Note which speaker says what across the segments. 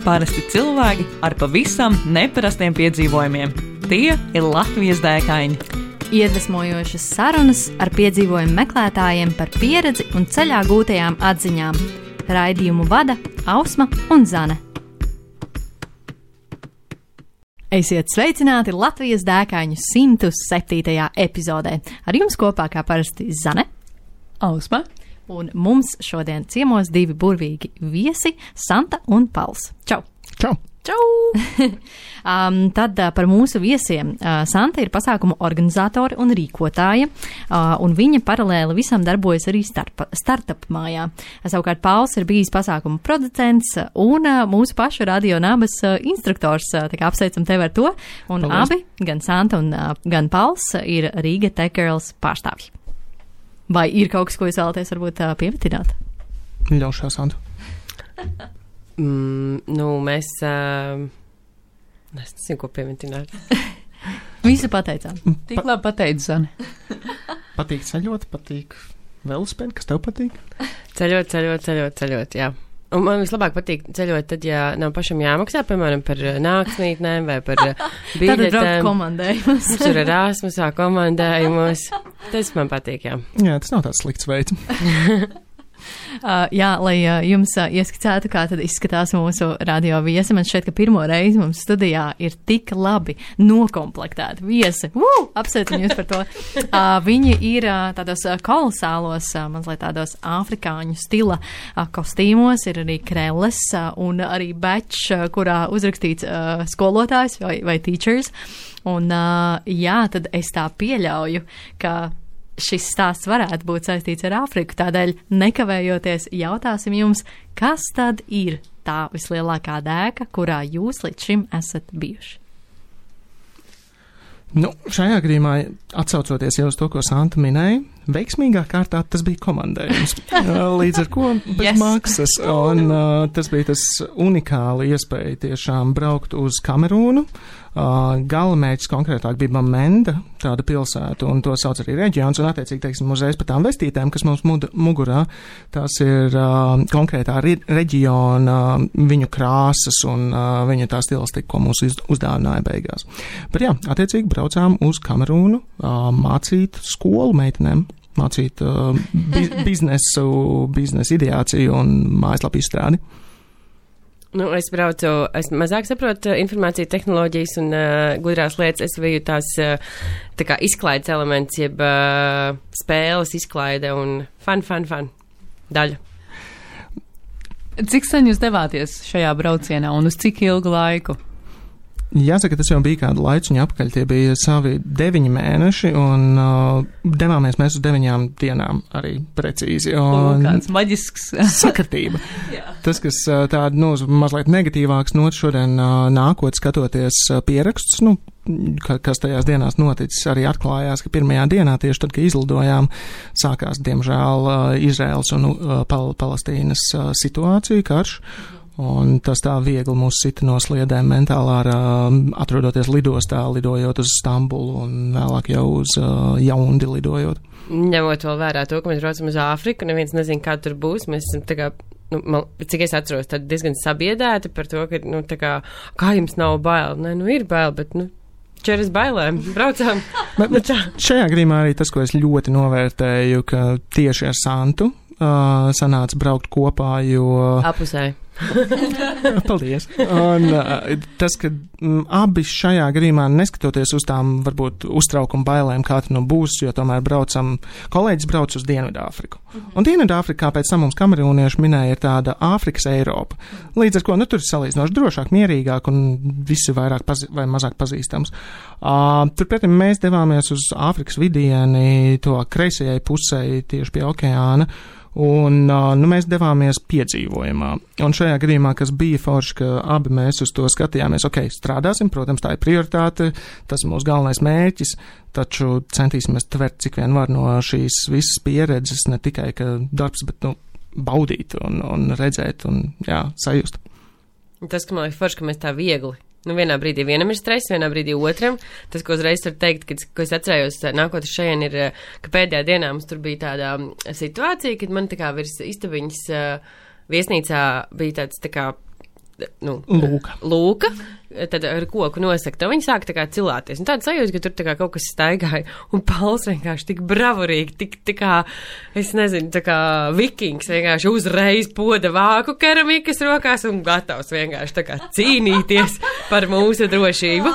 Speaker 1: Parasti cilvēki ar pavisam neparastiem piedzīvojumiem. Tie ir Latvijas dēkaini.
Speaker 2: Iedvesmojošas sarunas ar piedzīvojumu meklētājiem par pieredzi un ceļā gūtajām atziņām. Raidījumu vada Ausma un Zane. Esiet sveicināti Latvijas dēkaņu 107. epizodē. Ar jums kopā kā parasti Zane,
Speaker 1: Ausma.
Speaker 2: Un mums šodien ciemos divi burvīgi viesi, Santa un Pauls. Čau!
Speaker 3: Čau!
Speaker 2: Čau! Tad par mūsu viesiem. Santa ir pasākumu organizatori un rīkotāja, un viņa paralēli visam darbojas arī startup mājā. Savukārt Pauls ir bijis pasākumu producents un mūsu pašu Radio Nabas instruktors. Tā kā apsveicam tevi ar to. Un paldies. Abi, gan Santa un gan Pauls, ir Riga Tech Girls pārstāvji. Vai ir kaut kas, ko jūs vēlaties varbūt piemetināt?
Speaker 3: Ļaušā, Santa.
Speaker 4: Mēs... Es nezinu, ko piemetināt.
Speaker 2: Visu pateicām.
Speaker 1: Tik labi pateicu, Zane.
Speaker 3: Patīk ceļot, patīk velospēdi, kas tev patīk?
Speaker 4: Ceļot, jā. Un man vislabāk patīk ceļot tad, ja nav pašam jāmaksā, piemēram, par naktsmītnēm vai par biļetēm.
Speaker 2: Tad braukt komandējumus.
Speaker 4: Tur ir Erasmusā komandējumus. Tas man patīk, jā.
Speaker 3: Jā, tas nav tāds slikts veids.
Speaker 2: Jā, lai jums ieskicētu, kā tad izskatās mūsu radio viesi. Man šķiet, ka pirmo reizi mums studijā ir tik labi nokomplektēti viesi. Apsveicam jūs par to. Viņi ir tādos kolosālos, mazliet tādos afrikāņu stila kostīmos, ir arī krelles un arī badge, kurā uzrakstīts skolotājs vai teachers. Un jā, tad es tā pieļauju, ka šis stāsts varētu būt saistīts ar Āfriku, tādēļ nekavējoties jautāsim jums, kas tad ir tā vislielākā dēka, kurā jūs līdz šim esat bijuši?
Speaker 3: Šajā gadījumā, atsaucoties jau uz to, ko Santa minēja, veiksmīgā kārtā tas bija komandējums. Līdz ar ko bez maksas. Un tas bija tas unikāli iespēja tiešām braukt uz Kamerūnu. Galamērķis konkrētāk bija Bamenda, tāda pilsēta, un to sauc arī reģions, un attiecīgi, teiksim, uzreiz par tām vestītēm, kas mums mugurā, tās ir konkrētā reģiona, viņu krāsas un viņu tā stilistika, ko mums uzdāvināja beigās. Bet jā, attiecīgi braucām uz Kamerūnu, mācīt skolu meitenēm, mācīt biznesa ideāciju un mājaslapu izstrādi.
Speaker 4: Es mazāk saprotu informāciju tehnoloģijas un gudrās lietas. Es biju tās tā kā izklaides elements, jeb spēles izklaide un fun daļa.
Speaker 1: Cik sen jūs devāties šajā braucienā un uz cik ilgu laiku?
Speaker 3: Jāsaka, tas jau bija kādu laiciņu apakaļ, tie bija savi 9 mēneši, un devāmies mēs uz 9 dienām arī precīzi.
Speaker 1: Kāds maģisks.
Speaker 3: Sakartība. Tas, kas tāda, mazliet negatīvāks nots šodien nākot skatoties pierakstus, kas tajās dienās noticis, arī atklājās, ka pirmajā dienā tieši tad, kad izlidojām, sākās, diemžēl, Izraels un Palestīnas situācija, karš. Un tas tā viegli mūs sita no sliedēm mentālā, atrodoties lidostā, lidojot uz Stambulu un vēlāk jau uz Jaundi lidojot.
Speaker 4: Ņemot vēl vērā to, ka mēs braucam uz Āfriku, neviens nezin, kā tur būs, mēs esam tā kā, cik es atceros, tad diezgan sabiedēti par to, ka, kā jums nav bail? Nē, ir bail, bet, čeras bailēm, braucām.
Speaker 3: Bet šajā gadījumā arī tas, ko es ļoti novērtēju, ka tieši ar Santu sanāca braukt kopā, jo...
Speaker 4: Apusēji.
Speaker 3: Paldies. Un tas, ka abi šajā gadījumā, neskatoties uz tām varbūt uztraukuma bailēm, kā tas būs, jo tomēr kolēģis brauc uz Dienvidāfriku. Un Dienvidāfrika, kā pēc tam mums kamerūnieši minēja, ir tāda Āfrikas Eiropa. Līdz ar ko, tur ir salīdzinoši drošāk, mierīgāk un visi vairāk vai mazāk pazīstams. Turpretī mēs devāmies uz Āfrikas vidieni, to kreisajai pusē, tieši pie okeāna. Un mēs devāmies piedzīvojumā. Un šajā gadījumā, kas bija forši, ka abi mēs uz to skatījāmies, strādāsim, protams, tā ir prioritāte, tas ir mūsu galvenais mērķis, taču centīsimies tvert, cik vien var no šīs visas pieredzes, ne tikai ka darbs, bet baudīt un redzēt un sajust.
Speaker 4: Tas, ka man liekas forši, ka mēs tā viegli. Vienā brīdī vienam ir stress, vienā brīdī otram. Tas, ko uzreiz var teikt, ko es atcerējos, nākot uz šajien, ir, ka pēdējā dienā mums tur bija tāda situācija, kad man tā kā virs istabiņas viesnīcā bija tāds tā kā lūka, tad ar koku nosaka, tad viņi sāk tā kā cilāties. Un tāda sajūta, ka tur tā kā kaut kas staigāja, un Pauls vienkārši tik bravurīgi, tik tā kā, es nezinu, tā kā vikings vienkārši uzreiz poda vāku keramikas rokās un gatavs vienkārši tā kā cīnīties par mūsu drošību.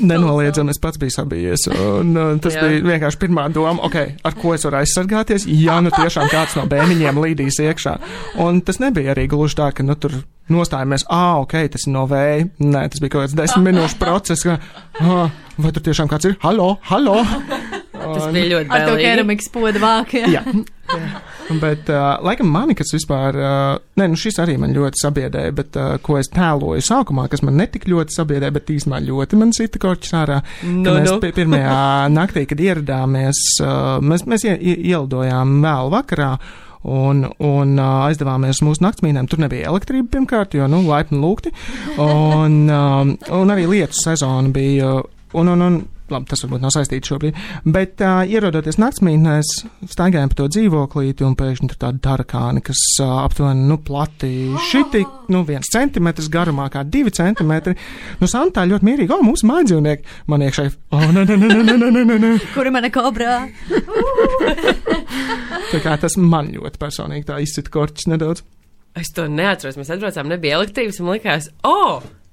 Speaker 3: Nenoliedzami, es pats biju sabijies, un tas bija vienkārši pirmā doma, ar ko es varu aizsargāties, ja nu tiešām kāds no bēniņiem līdīs iekšā. Un tas nebija arī gluži tā, ka tur nostājamies, tas ir no vēja. Nē, tas bija kaut kāds 10 minūšu process, vai tur tiešām kāds ir? Halo!
Speaker 4: Tas bija ļoti
Speaker 2: bailīgi. Ar to keramikas poda vāku,
Speaker 3: jā. Bet, laikam mani, kas vispār, šis arī man ļoti sabiedēja, bet, ko es tēloju sākumā, kas man netik ļoti sabiedēja, bet īstenībā ļoti man sita korķis ārā, mēs pirmajā naktī, kad ieradāmies, mēs ielidojām vēl vakarā, un aizdevāmies mūsu naktsmīnēm. Tur nebija elektrība pirmkārt, jo, laipni lūgti, un arī lietu sezona bija, labi, tas varbūt nav saistīts šobrīd, bet ierodoties naktsmītnēs, staigājām pa to dzīvoklīti, un pēkšņi tur tādi tarakāni, kas aptuveni, plati šiti, 1 centimetrs garumā, kā 2 centimetri. Santa tā ļoti mierīgi, mūsu mājdzīvnieki, man iekšai, nē.
Speaker 2: Kuri mana kobrā?
Speaker 3: Tā kā tas man ļoti personīgi tā izcita korķis nedaudz.
Speaker 4: Es to neatceros, mēs atbraucām, nebija elektrības, un likās,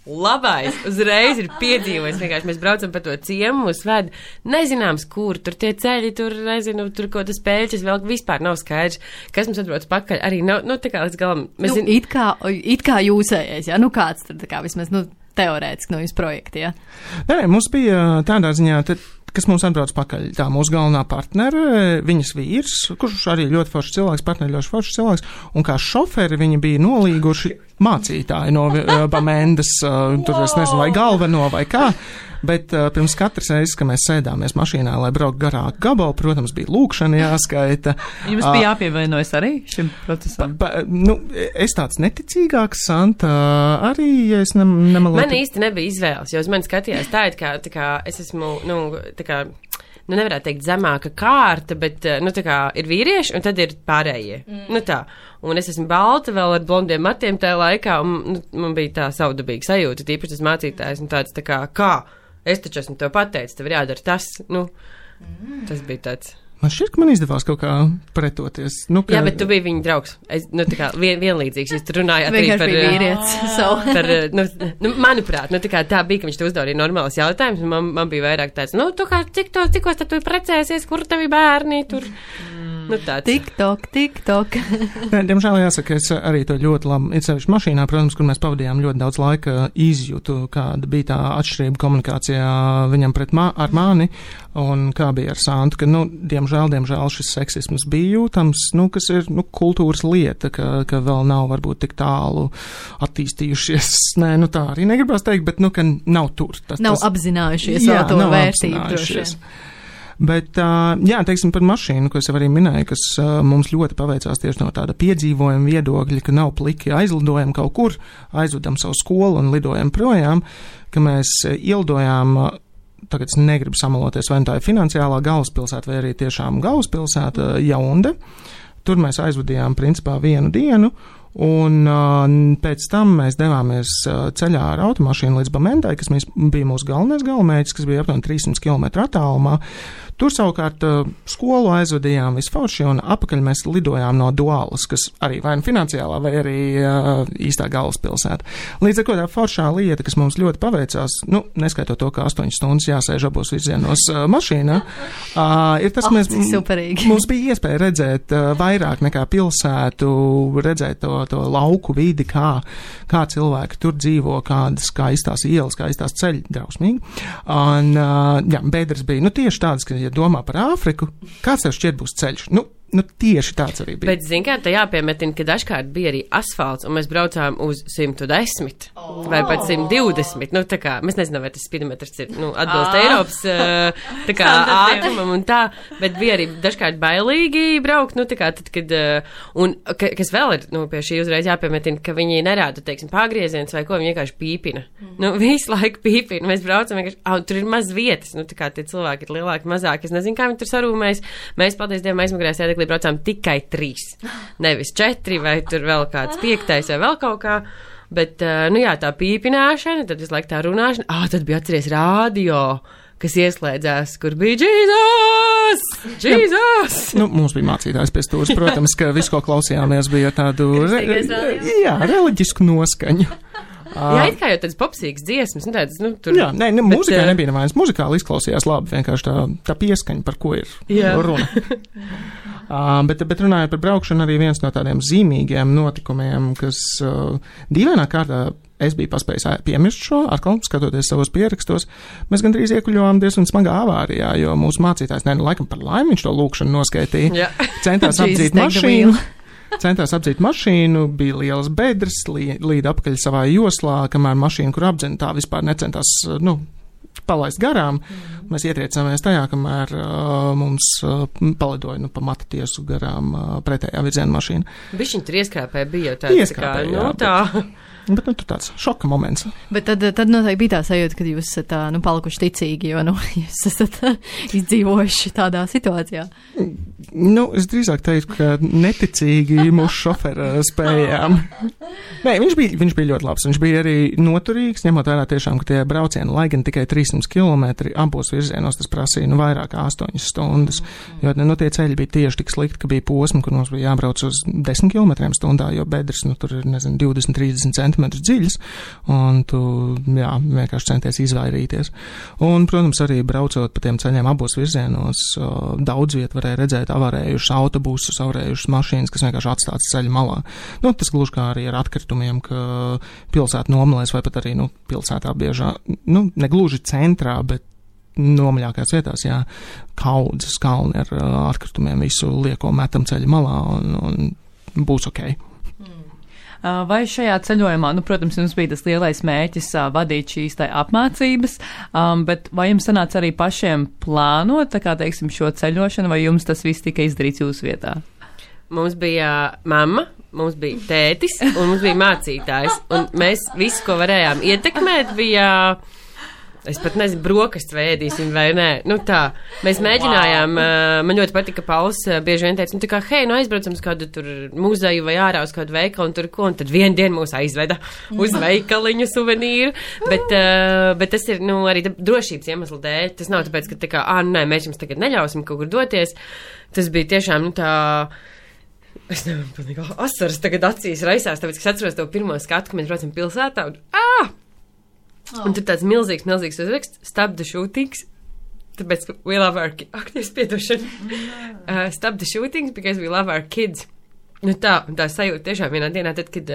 Speaker 4: labais, uzreiz ir piedzīvojis, vienkārši mēs braucam pa to ciemu, mūs ved, nezināms, kur, tur tie ceļi, tur, nezinu, tur ko tas pēļķis vēl vispār nav skaidrs, kas mums atbrauc pakaļ, arī nav, tā kā līdz galam.
Speaker 2: It kā jūsējais, kāds tad, tā kā vismaz, teorētiski no jūsu projekta,
Speaker 3: Nē, mums bija tādā ziņā, kas mums atbrauc pakaļ. Tā mūsu galvenā partnere, viņas vīrs, kurš arī ļoti foršs cilvēks, partneri ļoti foršs cilvēks, un kā šoferi viņi bija nolīguši mācītāji no Bamendas, tur es nezinu, vai galveno vai kā, bet pirms katras reizes, ka mēs sēdāmies mašīnā, lai brauktu garāku gabalu, protams, bija lūkšana jāskaita.
Speaker 1: Jums bija jāpievienojas arī šim procesam?
Speaker 3: Es tāds neticīgāks, Santa, arī, ja es nemalotu.
Speaker 4: Man īsti nebija izvēles, jo uz mani skatījās tā kā es esmu, nevarētu teikt zemāka kārta, bet, kā ir vīrieši, un tad ir pārējie. Tā. Un es esmu balta vēl ar blondiem matiem tajā laikā, un man bija tā savdabīga sajūta, tīpaši tas mācītājs, un tāds tā kā, es taču esmu tev pateicis, tev ir jādara tas, tas bija tāds.
Speaker 3: Man šķiet, ka man izdevās kaut kā pretoties.
Speaker 4: Jā, bet tu biji viņa draugs. Vienlīdzīgs, jūs tur runājāt arī par
Speaker 2: vīrietis.
Speaker 4: Manuprāt, tā bija, ka viņš te uzdaudīja normālas jautājumus, un man bija vairāk tāds, tu kā cikos tad tu precēsies, kur tavi bērni tur?
Speaker 2: TikTok.
Speaker 3: Diemžēl jāsaka, es arī to ļoti labi, it sevišķi mašīnā, protams, kur mēs pavadījām ļoti daudz laika, izjūtu, kāda bija tā atšķirība komunikācijā viņam ar mani, un kā bija ar Santu, ka, diemžēl šis seksisms bija jūtams, kas ir, kultūras lieta, ka vēl nav varbūt tik tālu attīstījušies. Nē, tā arī negribās teikt, bet, ka nav tur.
Speaker 2: Nav apzinājušies vēl to vērtību droši vien.
Speaker 3: Bet, teiksim par mašīnu, ko es jau arī minēju, kas mums ļoti paveicās tieši no tāda piedzīvojuma viedokļa, ka nav pliki aizlidojam kaut kur, aizvedam savu skolu un lidojam projām, ka mēs ielidojām, tagad es negribu samaloties, vai tā ir finansiālā galvaspilsēta vai arī tiešām galvaspilsēta Jaunde. Tur mēs aizvadījām principā 1 dienu. Un pēc tam mēs devāmies ceļā ar automašīnu līdz Bamendai, kas bija mūsu galvenais galamērķis, kas bija aptuveni 300 km attālumā. Tur savukārt skolu aizvadījām visforši, un apakaļ mēs lidojām no Dualas, kas arī vai finansiālā, vai arī īstā galvaspilsēta. Līdz ar ko tā foršā lieta, kas mums ļoti paveicās, neskaitot to, ka 8 stundas jāsēž abos virzienos mašīnā, ir tas, mums bija iespēja redzēt vairāk nekā pilsētu, redzēt to lauku vidi, kā cilvēki tur dzīvo, kādas skaistās ielas, skaistās ceļi, drausmīgi. Un, bedres bija, tieši tādas, ka, ja domā par Āfriku, kāds tev šķiet būs ceļš? Tieši tāds arī bija.
Speaker 4: Bet, kā, tā jāpiemetina, ka dažkārt bija arī asfalts, un mēs braucām uz 110 vai pat 120. Tā kā, mēs nezinām, vai tas spidometrs ir, atbilst Eiropas, tā kā, ātrumam un tā, bet bija arī dažkārt bailīgi braukt, tā kā, tad, kad, un, kas vēl ir, pie šī uzreiz jāpiemetina, ka viņi nerāda, teiksim, pagrieziens vai ko, viņi vienkārši pīpina. Visu laiku pīpina, mēs braucam vienkārši, tur ir maz vietas, tā kā tie cilvēki ir lielāki, mazāki, es nezinu, kā viņi tur sarūmējas, mēs, paldies Dievam, aizmugurējās ēdeklī braucām tikai 3, nevis 4, vai tur vēl kāds 5. vai vēl kaut kā, Bet, nu jā, tā pīpināšana, tad visu laiku tā runāšana, tad bija atceries rādio, kas ieslēdzās, kur bija Jēzus!
Speaker 3: Nu, mums bija mācītājs pie stūras, protams, ka visu, ko klausījāmies, bija tādu reliģisku noskaņu.
Speaker 4: Jā, it kā jau tāds popsīgs dziesmas, tāds, tur.
Speaker 3: Jā, mūzikā nebija nevainas. Muzikāli izklausījās labi, vienkārši tā pieskaņa, par ko ir runa. Bet runājot par braukšanu, arī viens no tādiem zīmīgiem notikumiem, kas dīvainā kārtā es biju paspējis piemirst šo, atkal skatoties savos pierakstos, mēs gandrīz iekuļojām diezgan smagā avārijā, jo mūsu mācītājs, laikam par laimi viņš to lūkšanu noskaitīja, centās apdzīt mašīnu, bija lielas bedres, līd apakaļ savā joslā, kamēr mašīna, kur apdzina, tā vispār necentās, palaist garām. Mēs ietriecāmies tajā, kamēr mums palidoja pa matu tiesu garām pretējā virziena mašīna.
Speaker 4: Bišķiņ tur ieskrāpē bija tāds, tā.
Speaker 3: Bet tur tāds šoka moments.
Speaker 2: Bet tad noteikti bija tā sajūta, ka jūs esat palikuši ticīgi, jo, jūs esat izdzīvojuši tādā situācijā.
Speaker 3: Es drīzāk teiktu, ka neticīgi mūsu šofera spējām. Nē, viņš bija ļoti labs. Viņš bija arī noturīgs, ņemot vērā tiešām, ka tie braucieni, lai gan tikai 300 km abos virzienos, tas prasīja vairāk kā 8 stundas. Jo tie ceļi bija tieši tik slikti, ka bija posmi, kur mums bija jābrauc uz 10 km stundā, jo bedres, tur ir, 20-30 centimetrus dziļas, un tu, vienkārši centies izvairīties. Un, protams, arī braucot pa tiem ceļiem abos virzienos, daudz viet varēja redzēt avarējušas autobusus, avarējušas mašīnas, kas vienkārši atstāts ceļa malā. Tas gluži kā arī ar atkritumiem, ka pilsēta nomalēs vai pat arī, pilsētā biežā, ne gluži centrā, bet nomaļākās vietās, kaudzes kalni ar atkritumiem visu lieko metam ceļa malā un būs ok.
Speaker 1: Vai šajā ceļojumā, protams, jums bija tas lielais mērķis vadīt šīs apmācības, bet vai jums sanāca arī pašiem plānot, teiksim, šo ceļošanu, vai jums tas viss tika izdarīts jūsu vietā?
Speaker 4: Mums bija mamma, mums bija tētis un mums bija mācītājs, un mēs visu, ko varējām ietekmēt, bija... Es pat nezinu, brokastis vai ēdīsim vai nē. Tā, mēs mēģinājām, man ļoti patika, ka Pauls bieži vien teica, tā kā, hei, aizbraucam uz kādu tur muzeju vai ārā uz kādu veikalu un tur ko, un tad vienu dienu mūs aizveda uz veikaliņu suvenīru, bet tas ir, arī drošības iemeslu dēļ. Tas nav tāpēc, ka tā kā, mēs jums tagad neļausim kaut kur doties. Tas bija tiešām, es nevaru, pilnīgi asaras tagad acīs raisās, tāpēc, ka es atceros to pirmo skatu, ka mēs braucam pilsētā un, un tur tāds milzīgs uzraksts, stop the shootings, tāpēc we love our kids. Akties piedošana. Stop the shootings because we love our kids. Tā sajūta tiešām vienā dienā, tad, kad,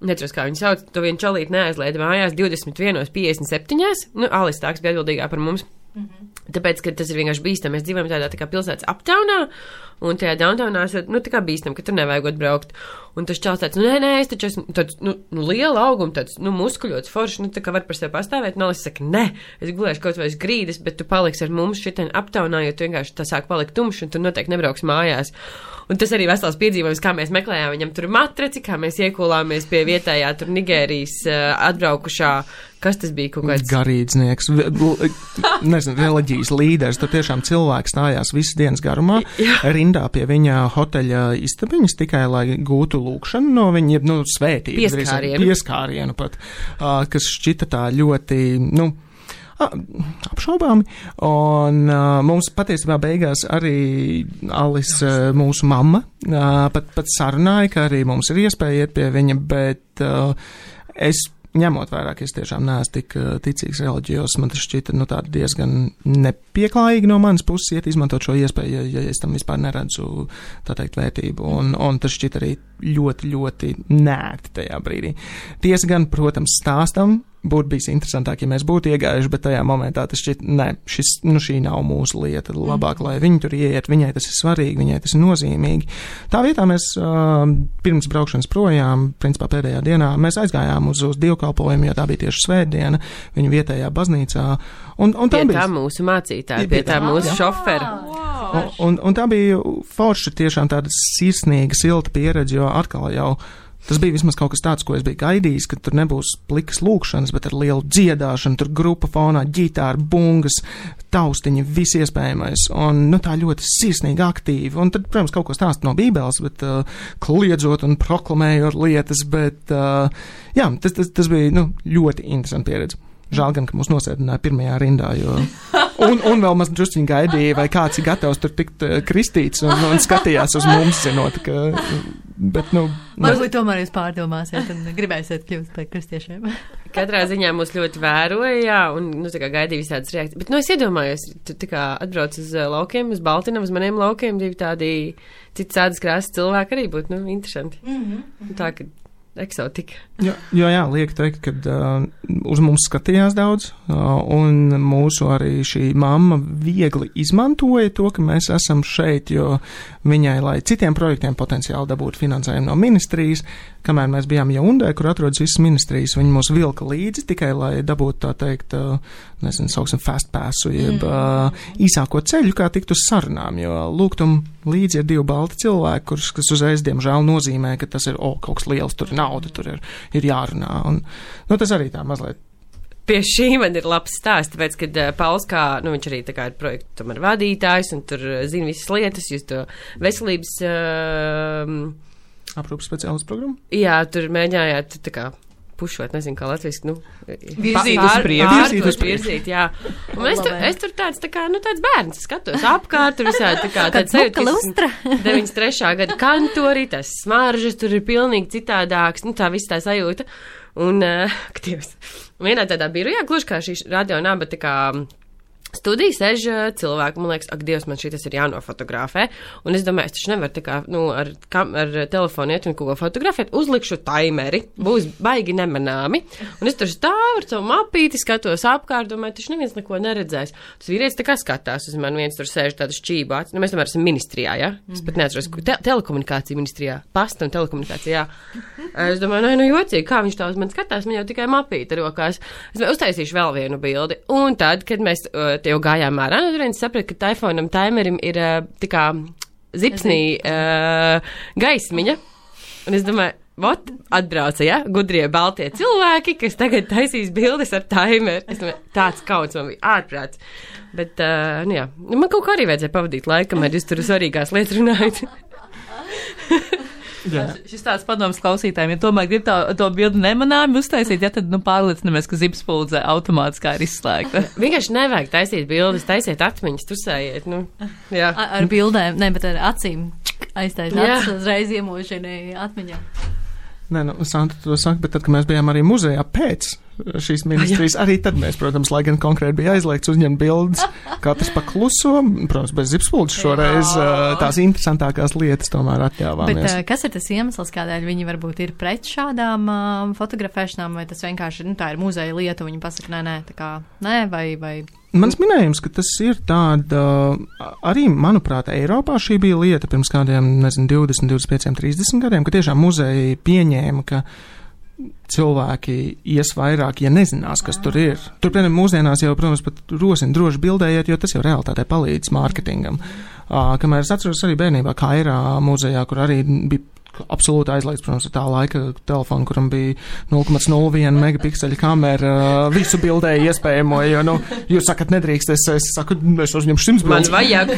Speaker 4: neceros, kā viņu sauc, to vienu čalīt neaizlaida mājās 21:57. Alis Tāks bija atbildīgā par mums. Tāpēc, ka tas ir vienkārši bīstam. Mēs dzīvojam tādā tā kā pilsētas aptaunā, un tajā downtownā tā kā bīstam, ka tur nevajagot braukt. Un tas čals tāds, nē, es taču esmu tāds, liela auguma, tāds, muskuļots forši, tā kā var par sevi pastāvēt. Es saku, nē, es gulēšu kaut vai uz grīdas, bet tu paliksi ar mums šitien aptaunā, jo tu vienkārši tā sāk palikt tumšs, un tu noteikti nebrauks mājās. Un tas arī vesels piedzīvojums, kā mēs meklējām viņam tur matraci, kā mēs iekulāmies pie vietējā tur Nigērijas atbraukušā, kas tas bija kaut kāds...
Speaker 3: Garīdznieks, reliģijas līderis, tur tiešām cilvēks stājās visas dienas garumā, rindā pie viņa hoteļa istabiņas tikai, lai gūtu lūkšanu no viņa, svētību. Pieskārienu pat, kas šķita tā ļoti, apšaubāmi, un mums patiesībā beigās arī Alis, mūsu mamma, pat sarunāja, ka arī mums ir iespēja iet pie viņa, bet es ņemot vērā, ka es tiešām neesmu tik ticīgs reliģijos, man tas šķita, tāda diezgan nepieklājīgi no manas puses iet izmantot šo iespēju, ja es tam vispār neredzu, tā teikt, vērtību, un tas šķita arī ļoti, ļoti nērti tajā brīdī. Tiesa gan, protams, stāstam, būtu bijis interesantāk, ja mēs būtu iegājuši, bet tajā momentā tas šķiet, šī nav mūsu lieta. Labāk, lai viņi tur ieiet, viņai tas ir svarīgi, viņai tas ir nozīmīgi. Tā vietā mēs pirms braukšanas projām, principā pēdējā dienā, mēs aizgājām uz dievkalpojumu, jo tā bija tieši svētdiena, viņu vietējā baznīcā. Un tā
Speaker 4: bija tā mūsu mācītāja, pie tā mūsu šofera.
Speaker 3: Un tā bija forši tiešām tāda sirsnīga, silta pieredze, jo atkal jau Tas bija vismaz kaut kas tāds, ko es biju gaidījis, ka tur nebūs plikas lūkšanas, bet ar lielu dziedāšanu, tur grupa fonā, ģitāra, bungas, taustiņi, viss iespējamais, un, tā ļoti sirsnīgi aktīvi, un tad, protams, kaut ko stāst no Bībeles, bet kliedzot un proklamējot lietas, bet, jā, tas bija, ļoti interesanti pieredze. Žēl gan, ka mūs nosēdināja pirmajā rindā, jo... Un vēl maz drusciņi gaidīja, vai kāds ir gatavs tur tikt kristīts un skatījās uz mums, zinot, ka... Bet,
Speaker 2: Varbūt tomēr jūs pārdomāsiet un gribēsiet kļūt par kristiešiem.
Speaker 4: Katrā ziņā mūs ļoti vēroja, jā, un, tā kā gaidīja visādas reakcijas. Bet, es iedomājos, tu tā kā atbrauc uz laukiem, uz Baltinavu, uz maniem laukiem, divi tādi cits ādas krāsas cilvēki arī būtu, interesanti. Tā, ka eksotika.
Speaker 3: Jā, liek teikt, ka uz mums skatījās daudz, un mūsu arī šī mamma viegli izmantoja to, ka mēs esam šeit, jo viņai, lai citiem projektiem potenciāli dabūtu finansējumu no ministrijas, kamēr mēs bijām Jaundē, kur atrodas visas ministrijas, viņi mūs vilka līdzi tikai, lai dabūtu tā teikt, sauksim fast passu, jeb īsāko ceļu, kā tikt uz sarunām, jo lūgtum līdzi ir 2 balti cilvēki, kas uzreiz, diemžēl, nozīmē, ka tas ir, kaut kas liels, tur nauda, tur ir jārunā, un, tas arī tā mazliet.
Speaker 4: Pie šī man ir labs stāsts, tāpēc, kad Pauls viņš arī tā kā ir projektu tomēr vadītājs, un tur zina visas lietas, jūs to veselības...
Speaker 3: Aprūpas speciālistu programmu?
Speaker 4: Jā, tur mēģinājāt tā kā pušot, nezinu, kā latviski,
Speaker 1: virzīt uz priekšu.
Speaker 4: Virzīt, jā. Un es tur tāds, tā kā, tāds bērns, skatos apkārt, tur visādi, tā kā, tāds 93. gada kantori, tas smaržas, tur ir pilnīgi citādāks, tā viss tā sajūta. Un, Dievs, vienā tādā birojā, gluži kā šī radio naba, tā kā, studija sēž cilvēki, man liekas, ak, Dievs, man šitas ir jānofotografē, un es domāju, es taču nevaru tā kā, ar telefonu iet un ko fotografēt, uzlikšu taimeri, būs baigi nemanāmi, un es tur stāvu ar savu mapīti, skatos apkārt, domāju, taču neviens neko neredzēs. Tas vīrietis tā kā skatās uz mani, viens tur sēž tāda šķībāts, mēs tomēr esam ministrijā, ja? Es pat neatceros, telekomunikācija ministrijā, pasta un telekomunikācija, jā. Es domāju, jocīgi, kā viņš tā uz mani skatās, man jau tikai mapīti rokās. Es uztaisīšu vēl vienu bildi, un tad, kad mēs jau gājām ārā, turien sapratu, ka taifonam taimerim ir tā kā zipsnī gaismiņa, un es domāju, atbrauca, ja, gudrie baltie cilvēki, kas tagad taisīs bildes ar taimeru. Es domāju, tāds kauns man bija ārprāts. Bet, jā, man kaut kā arī vajadzēja pavadīt laiku, kamēr jūs tur svarīgās lietas runājat.
Speaker 1: Šis tāds padoms klausītājiem, ja tomēr grib to bildi nemanāmi uztaisīt, ja tad pārliecinamies, ka zipspuldze automātiski ir izslēgta.
Speaker 4: Vienkārši nevajag taisīt bildes, taisiet atmiņas, tusējiet, jā.
Speaker 2: Ar bildēm, ne, bet ar acīm aiztaisīt acis, uzreiz iemūžini atmiņā.
Speaker 3: Nē, Santa to saka, bet tad, kad mēs bijām arī muzejā pēc šīs ministrijas, arī tad mēs, protams, lai gan konkrēti bija aizliegts uzņemt bildes, katrs pakluso, protams, bez zipspuldes šoreiz tās interesantākās lietas tomēr atļāvāmies.
Speaker 2: Bet kas ir tas iemesls, kādēļ viņi varbūt ir pret šādām fotografēšanām, vai tas vienkārši, tā ir muzeja lieta, viņi pasaka, nē, tā kā, nē, vai...
Speaker 3: Mans minējums, ka tas ir tāda, arī, manuprāt, Eiropā šī bija lieta pirms kādiem, 20, 25, 30 gadiem, ka tiešām muzeji pieņēma, ka cilvēki ies vairāk, ja nezinās, kas tur ir. Tur, piemēram, mūsdienās jau, protams, pat rosina droši bildējiet, jo tas jau realitātē palīdz mārketingam. Kamēr es atceros arī bērnībā Kairā muzejā, kur arī bija absolūti aizliegts, protams, tā laika telefonu, kuram bija 0,01 megapikseļa kamera, visu bildēja iespējamo, jo, jūs sakat, nedrīkst, es saku, es uzņemšu 100 bildes.
Speaker 4: Man vajag.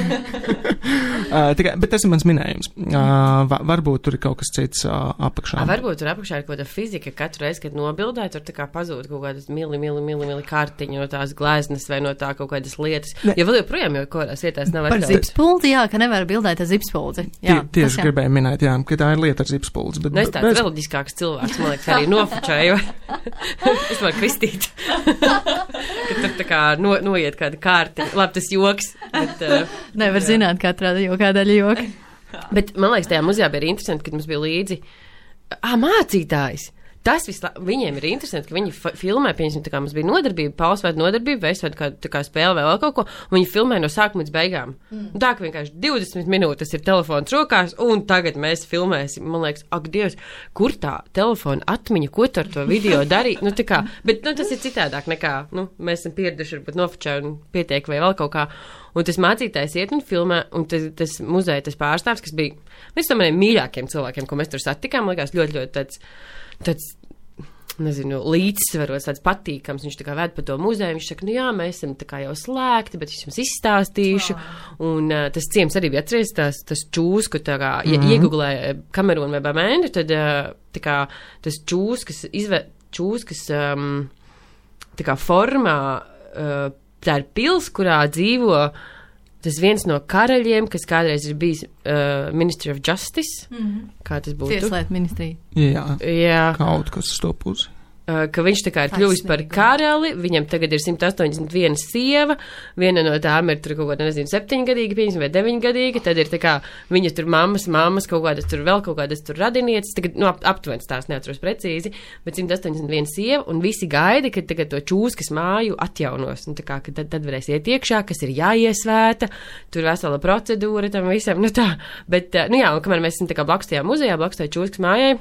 Speaker 3: Bet tas ir mans minējums. Varbūt tur ir kaut kas cits apakšā.
Speaker 4: Varbūt tur apakšā ir kaut kāda fizika, katru reizi, kad nobildē, tur tā kā pazūd kaut kādas mili kartiņu no tās gleznas vai no tā kaut kādas lietas. Jo vēl joprojām jau korās vietās nav
Speaker 2: par zipspuldi, jā, ka nevar bildēt ar zipspuldi.
Speaker 3: Tieši gribēju minēt, jā, ka tā ir lieta ar zipspuldes.
Speaker 4: Nu, es tāds reliģiskāks cilvēks, man liekas, arī nofučēju. Es varu kristīt. Ka tur tā kā noiet kāda kārti. Labi, tas joks. Bet,
Speaker 2: nevar zināt katrā kādā joka.
Speaker 4: Bet man liekas, tajā muzejā bija interesanti, kad mums bija līdzi mācītājs. Tas viņiem ir interesanti, ka viņi filmē, pieņemsim, tā kā mums bija nodarbība, Pauls vai nodarbība, vai es vai tā kā spēle vai vēl kaut ko, un viņi filmē no sākuma līdz beigām. Tā, ka vienkārši 20 minūtes ir telefons rokās, un tagad mēs filmēsim. Man liekas, ak, Dievs, kur tā telefona atmiņa, ko tu ar to video darīt? Tā kā, bet, tas ir citādāk nekā, mēs esam pieraduši, varbūt nofočē un pietiek vai vēl kaut kā. Un tas mācītājs iet un filmē, un tas muzeja, tas pārstāvs, kas bija viens no maniem mīļākiem cilvēkiem, ko mēs tur satikām, likās ļoti, ļoti tāds nezinu, līdzsvarots, tāds patīkams. Viņš tā kā ved pa to muzeju, viņš saka, nu jā, mēs esam tā kā jau slēgti, bet es jums izstāstīšu. Un tas ciems arī bija atceries, tas čūsku, tā kā, ja iegooglē Kamerūnu vai Bamēndu, tad tā kā tas čūskas, tā kā formā, tā ir pils, kurā dzīvo tas viens no karaļiem, kas kādreiz ir bijis Ministry of Justice. Kā tas būtu?
Speaker 2: Tieslietu ministrija.
Speaker 3: Jā. Kaut kas uz to pusi.
Speaker 4: Ka viņš tā kā ir kļuvis par karali, viņam tagad ir 181 sieva, viena no tām ir tur kaut kāda, nezinu, 7-gadīga, vai 9-gadīga, tad ir tā kā viņa tur mammas, kaut kādas tur vēl kaut kādas tur radinieces, tagad, nu, aptuvens tās neatceros precīzi, bet 181 sieva, un visi gaida, ka tagad to čūskas māju atjaunos, un tā kā, ka tad varēs iet iekšā, kas ir jāiesvēta, tur vesela procedūra tam visam, nu tā, bet, nu jā, un kamēr mēs esam tā kā blakus tajā muzejā, blakus tajā čūskas mājai,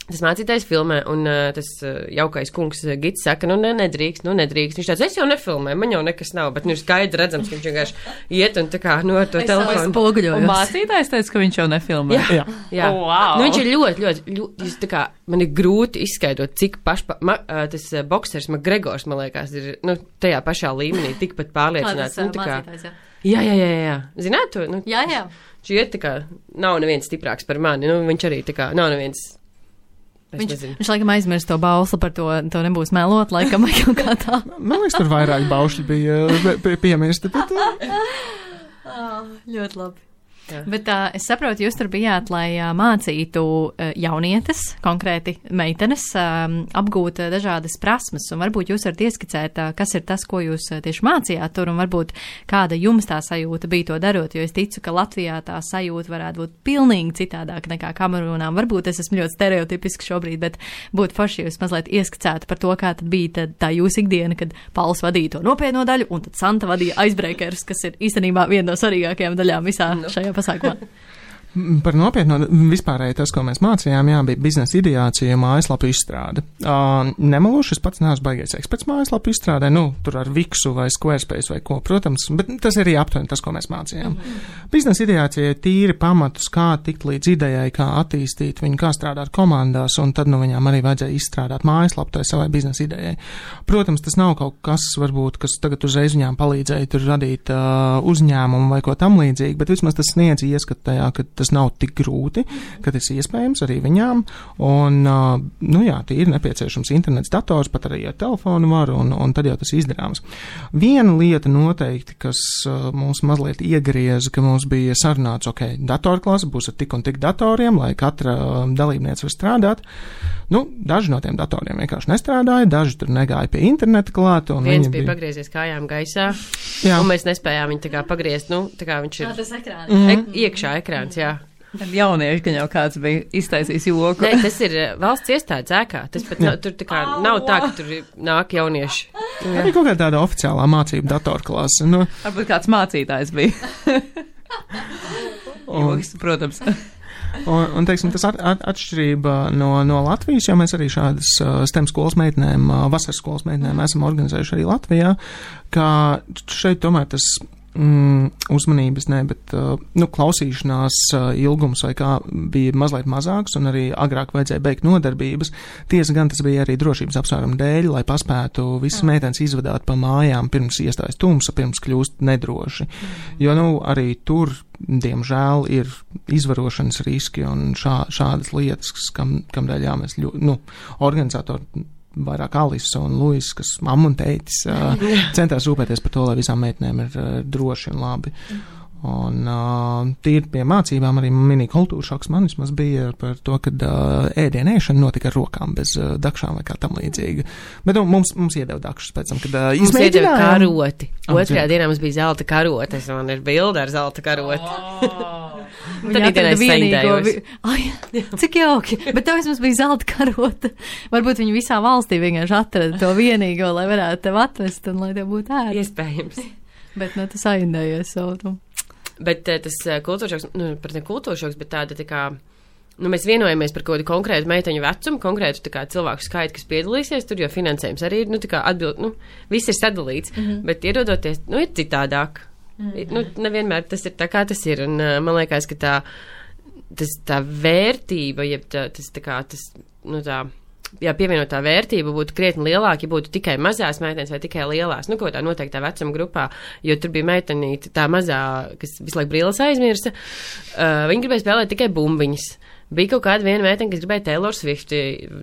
Speaker 4: tas mācītājs filmē, un tas jaukais kungs gids saka, nu nedrīkst. Viņš tāds, es jau nefilmēju, man jau nekas nav, bet nu ir skaidri redzams, ka viņš vienkārši iet un tā kā no to telefonu.
Speaker 1: Un mācītājs teica, ka viņš jau nefilmē.
Speaker 4: Jā.
Speaker 1: Oh, wow.
Speaker 4: Nu viņš ir ļoti, tā kā, man ir grūti izskaidrot, cik tas boksers McGregors, man liekas, ir, nu, tajā pašā līmenī, tikpat pārliecināts.
Speaker 2: Tas mācītājs,
Speaker 4: Jā. Zināt to? Nu,
Speaker 2: jā.
Speaker 4: Viņš iet tā kā, nav neviens stiprāks par mani, nu viņš arī tā kā, nav neviens.
Speaker 2: Viņš laikam aizmirst to bausli par to nebūs melot, laikam, vai kaut kā tā.
Speaker 3: Man liekas, tur vairāk baušļi bija piemirsti.
Speaker 2: Ļoti labi. Jā. Bet es saprotu, jūs tur bijāt, lai mācītu jaunietes, konkrēti meitenes, apgūt dažādas prasmes, un varbūt jūs varat ieskicēt, kas ir tas, ko jūs tieši mācījāt tur, un varbūt kāda jums tā sajūta bija to darot, jo es ticu, ka Latvijā tā sajūta varētu būt pilnīgi citādāk nekā Kamerūnā. Varbūt es esmu ļoti stereotipiski šobrīd, bet būtu forši, ja jūs mazliet ieskicētu par to, kā tad bija tā jūsu ikdiena, kad Pauls vadīja to nopietno daļu, un tad Santa vadīja icebreakers, kas ir īstenībā viena no svarīgākajām daļām visā šajā pasākumā.
Speaker 3: Par nopietnu vispārēji tas, ko mēs mācījām, bija biznesa ideācija, mājaslapu izstrāde. Nemeloši, es pats neesmu baigais eksperts mājaslapu izstrādē, tur ar Viksu vai Squarespace vai ko, protams, bet tas arī aptuveni tas, ko mēs mācījām. Biznesa ideācija ir tīri pamatus, kā tikt līdz idejai, kā attīstīt viņu, kā strādāt komandās, un tad viņām arī vajadzēja izstrādāt mājaslapu tai savai biznesa idejai. Protams, tas nav kaut kas, varbūt, kas tagad uzreiz viņām palīdzēja tur radīt uzņēmumu vai ko tam līdzīgi, bet vismaz tas sniedz ieskatu tajā, ka tas nav tik grūti, ka tas iespējams arī viņām, un, tie ir nepieciešams internets, dators, pat arī ar telefonu var, un tad jau tas izdarāms. Viena lieta noteikti, kas mums mazliet iegrieza, ka mums bija sarunāts, datorklase būs ar tik un tik datoriem, lai katra dalībniece var strādāt. Daži no tiem datoriem vienkārši nestrādāja, daži tur negāja pie interneta klāt.
Speaker 4: Viens bija pagriezies kājām gaisā, un mēs nespējām viņu tā kā pagriezt, tā kā viņš ir
Speaker 2: tas ekrāns.
Speaker 4: Iekšā ekrāns, jā.
Speaker 1: Tad jaunieši, ka jau kāds bija iztaisījis joku.
Speaker 4: Nē, tas ir valsts iestādes ēkā. Tas pat tur tā kā nav tā, ka tur nāk jaunieši.
Speaker 3: Arī kaut kāda tāda oficiālā mācība datorklase.
Speaker 1: Varbūt kāds mācītājs bija. Joks, protams.
Speaker 3: Un teiksim, tas atšķirība no Latvijas, jo mēs arī šādas STEM skolas meitenēm, vasaras skolas meitenēm esam organizējuši arī Latvijā, ka šeit tomēr tas uzmanības, bet klausīšanās ilgums vai kā bija mazliet mazāks, un arī agrāk vajadzēja beigt nodarbības. Tiesa gan tas bija arī drošības apsvērumu dēļ, lai paspētu visas meitenes izvadāt pa mājām pirms iestājas tumsa, pirms kļūst nedroši. Jo, arī tur, diemžēl, ir izvarošanas riski un šādas lietas, kam dēļ mēs organizatori vairāk Alisa un Luis, kas mamma un tētis centās rūpēties par to, lai visām meitenēm ir droši un labi. Un tīri pie mācībām arī mini kultūra šoks man vismaz bija par to, ka ēdienēšana notika ar rokām bez dakšām vai kā tam līdzīga. Bet mums iedeva dakšas pēc tam, kad
Speaker 4: mums iedeva karoti. Otrajā dienā mums bija zelta karotes, un ir bilde ar zelta karoti.
Speaker 2: Tad atrada vienīgo. Cik jauki, bet tev vismaz bija zelta karota. Varbūt viņi visā valstī vienkārši atrada to vienīgo, lai varētu tev atvest un lai tev būtu ērti.
Speaker 4: Iespējams.
Speaker 2: Bet tas aindējies savu.
Speaker 4: Bet tas kultūršoks, pat ne kultūršoks, bet tāda tā kā, mēs vienojamies par kaut kādu konkrētu meiteņu vecumu, konkrētu tā kā cilvēku skaitu, kas piedalīsies tur, jo finansējums arī ir, tā kā viss ir sadalīts, bet ierodoties, ir citādāk. Nu, nevienmēr tas ir tā, kā tas ir, un man liekas, ka tā vērtība, jeb pievienotā vērtība būtu krietni lielāka, ja būtu tikai mazās meitenes vai tikai lielās, nu, ko tā noteiktā vecuma grupā, jo tur bija meitenīte tā mazā, kas visu laiku brīles aizmirsa, viņa gribēja spēlēt tikai bumbiņas. Bija kaut kāda viena meitene, kas gribēja Taylor Swift,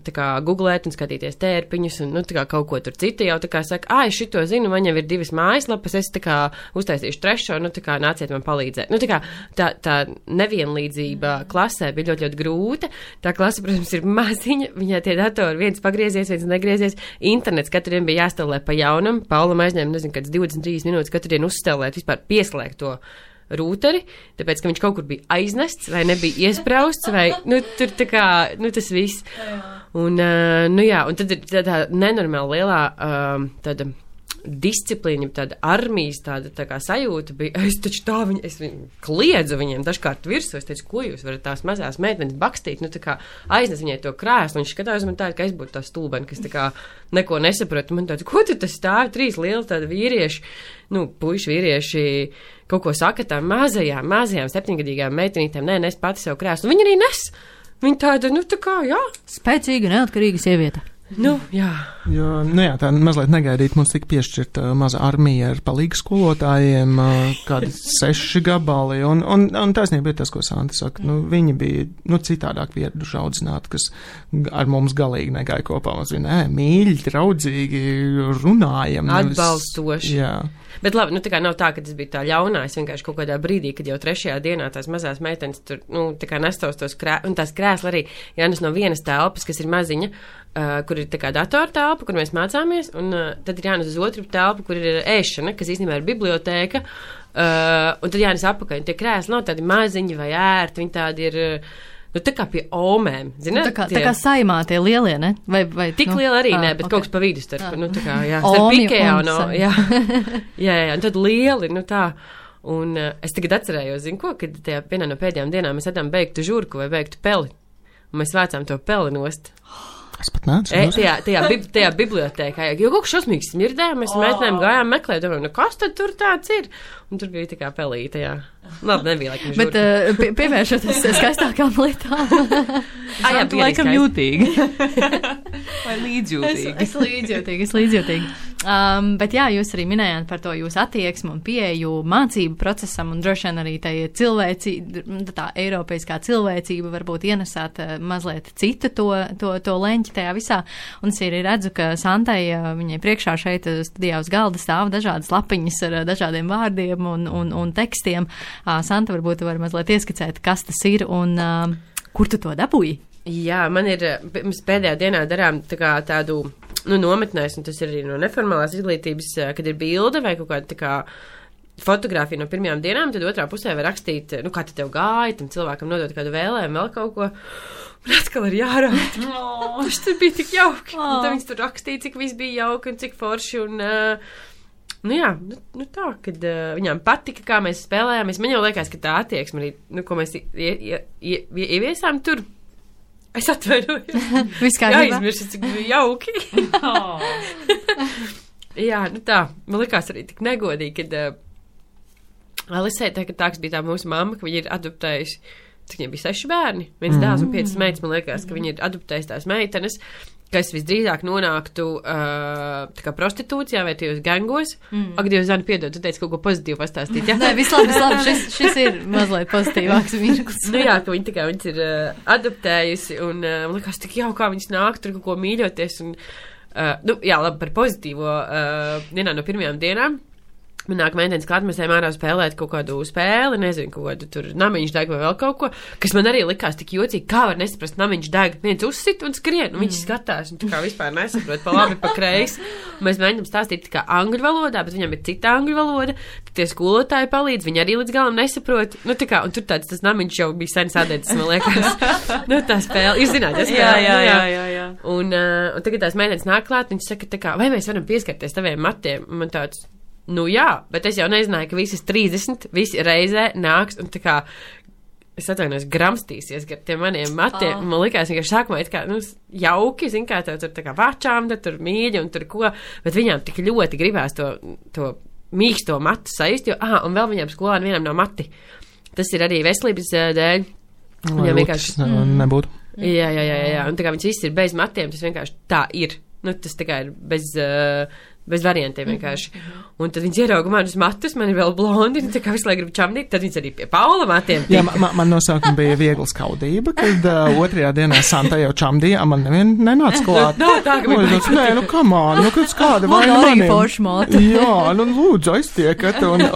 Speaker 4: tā kā googlēt un skatīties tērpiņus, un, nu, tā kā kaut ko tur citu jau tā kā saka, es šito zinu, man jau ir 2 mājaslapas, es tā kā uztaisīšu 3, nu, tā kā nāciet man palīdzēt. Nu, tā kā tā nevienlīdzība klasē bija ļoti, ļoti grūta. Tā klase, protams, ir maziņa, viņai tie datori viens pagriezies, viens negriezies. Internets katru dienu bija jāstelē pa jaunam, Paulam aizņēma, nezinu, kāds 23 minūtes katru dienu uzstelēt, vispār pieslēgt to rūteri, tāpēc, ka viņš kaut kur bija aiznests vai nebija iesprausts vai, nu, tur tā kā, nu, tas viss. Un, nu jā, un tad ir tā nenormāli lielā tāda disciplīna, tāda armijas, tā kā sajūta bija, es viņu kliedzu viņiem dažkārt virsū, es teicu, ko jūs varat tās mazās meitenes bakstīt, nu, tā kā aiznes viņai to krēslu, viņš skatās man tādu, ka es būtu tā stulbeni, kas tā kā neko nesapratu, man tāds, ko tu tas stāvi, 3 lieli tādi vīrieši, nu, puiši vīrieši, kaut ko saka tām mazajām 7-gadīgām meitenītēm, nē, nes pati sev krēslu, viņi arī nes, viņi tāda, nu, tā kā, jā.
Speaker 2: Spēcīga, neatkarīga sieviete.
Speaker 4: Nu, jā.
Speaker 3: Jo, nu jā, tā mazliet negaidīt, mums tika piešķirta maza armija ar palīgu skolotājiem, kādi 6 gabali, un taisnība ir tas, ko Santa saka, nu, viņi bija, nu, citādāk pieraduši audzināti, kas ar mums galīgi negāja kopā, mums bija, mīļi, draudzīgi, runājam.
Speaker 4: Atbalstoši.
Speaker 3: Jā.
Speaker 4: Bet labi, nu tā kā nav tā, ka tas bija tā ļaunā, es vienkārši kaut kādā brīdī, kad jau 3. dienā tās mazās meitenes tur, nu, tā kā nestos tos un tās krēsli arī jānes no vienas telpas, kas ir maziņa, kur ir tā kā datora telpa, kur mēs mācāmies, un tad ir jānes uz otru telpu, kur ir ēšana, kas īstenībā ir bibliotēka, un tad jānes apakaļ, un tie krēsli nav tādi maziņi vai ērti, viņi tādi ir, nu, tā kā pie omēm, zināt?
Speaker 2: Tā kā saimā tie lielie, ne? Vai
Speaker 4: tik lieli arī, ne, bet kaut kas pa vidu starp, nu, tā kā, jā, starp Ikea un, jā, un tad lieli, nu, tā. Un es tagad atcerējos, zinu ko, kad tajā vienā no pēdējām dienām mēs atām beigtu žurku vai beigtu peli, un mēs vācām to peli nost.
Speaker 3: Es pat nācu.
Speaker 4: Tajā bibliotēkā, jo kaut kas šausmīgs smirdēja, mēs meitenēm gājām meklēt, domājam, nu kas tad tur tāds ir? Un tur bija tā kā pelīte, jā. Labi, nebija laikam žurka.
Speaker 2: Bet pievēršoties skaistākām lietām.
Speaker 1: Jā, tu laikam jūtīgi. Vai līdzjūtīgi?
Speaker 2: Es līdzjūtīgi. Bet jā, jūs arī minējāt par to jūsu attieksmu un pieeju mācību procesam, un droši vien arī tā eiropeiskā cilvēcība varbūt ienesāt mazliet citu to leņķi tajā visā. Un es arī redzu, ka Santai viņai priekšā šeit studijā uz galda stāv dažādas lapiņas ar dažādiem vārdiem un tekstiem. Santa, varbūt tu vari mazliet ieskicēt, kas tas ir un kur tu to dabūji?
Speaker 4: Jā, mēs pēdējā dienā darām tādu, nu, nometnēs, un tas ir arī no neformālās izglītības, kad ir bilde vai kaut kāda tā kā fotogrāfija no pirmajām dienām, tad otrā pusē var rakstīt, nu, kā tev gāja, tam cilvēkam nodot kādu vēlējumu, vēl kaut ko. Un atkal ir jārākt. Tas tur bija tik jauki. Un tad viņas tur rakstīja, cik viss bija jauki un cik forši. Un, nu jā, nu tā, kad viņām patika, kā mēs spēlējāmies. Man jau liekas, ka tā attieksme arī, nu, ko mēs ieviesām tur. Es atvainojos.
Speaker 2: Viss kārtībā.
Speaker 4: Aizmirsu, cik bija jauki. Jā, nu tā. Man likās arī tik negodīgi, kad Alisē, tā, kas bija tā mūsu mamma, ka viņa ir adoptējusi, cik viņai bija 6 bērni, 1 dēls un 5 meitas, man liekas, ka viņa ir adoptējusi tās meitenes, kas visdrīzāk nonāktu tā kā prostitūcijā vai tajos gangos. Ak, Dievs, Zana, piedod, tu teici kaut ko pozitīvu pastāstīt, jā?
Speaker 2: Nē, vislabi, šis ir mazliet pozitīvāks mirklis.
Speaker 4: Nu jā, ka viņas ir adoptējusi, un man liekas, tik jau kā viņas nāk tur kaut ko mīļoties, un, nu jā, labi, par pozitīvo vienā no pirmajām dienām. Man nāk meitenes klāt, mēs ejam ārā spēlēt kaut kādu spēli, nezinu, kaut kādu tur namiņš deg vai vēl kaut ko, kas man arī likās tik jocīgi, kā var nesaprast namiņš deg, viens uzsit un skrien, un viņš skatās, un tā kā vispār nesaprot pa labi, pa kreisi. Un mēs mēģinām stāstīt tā kā angļu valodā, bet viņam ir cita angļu valoda, tad tie skolotāji palīdz, viņi arī līdz galam nesaprot, nu tā kā, un tur tāds tas namiņš jau bija sen sadedzis, man liekas, nu tā spēle, jūs zināt,
Speaker 1: Jā.
Speaker 4: Un tagad tās meitenes nāk klāt, viņš saka tā kā, vai mēs varam pieskarties taviem matiem, un man tāds, nu jā, bet es jau nezināju, ka visas 30, visi reizē nāks un tā kā, es atvainojos, gramstīsies gar tiem maniem matiem. Man likās, ka sākumā it kā, nu, jauki, zin kā, tur tā kā vačām, tur mīļi un tur ko, bet viņām tik ļoti gribās to mīksto matu sajust, jo, un vēl viņam skolāni vienam nav mati. Tas ir arī veselības dēļ.
Speaker 3: Viņam vienkārši nebūtu.
Speaker 4: Jā, un tā kā viņas viss ir bez matiem, tas vienkārši tā ir. Nu, tas tā kā ir bez variantiem vienkārši. Un tad viņas ierauga manus matus, man ir vēl blondi, un tā kā visu laiku gribu čamdīt, tad viņas arī pie Paula matiem.
Speaker 3: Jā, man no sākuma bija viegla skaudība, kad otrajā dienā Santa jau čamdīja, man nevien nenāca klāt.
Speaker 4: Tā, ka
Speaker 3: nē, nu, come on, kāda vaina
Speaker 2: maniem.
Speaker 3: Man arī
Speaker 2: forši mati.
Speaker 3: Jā, lūdzu, aiztiekat, un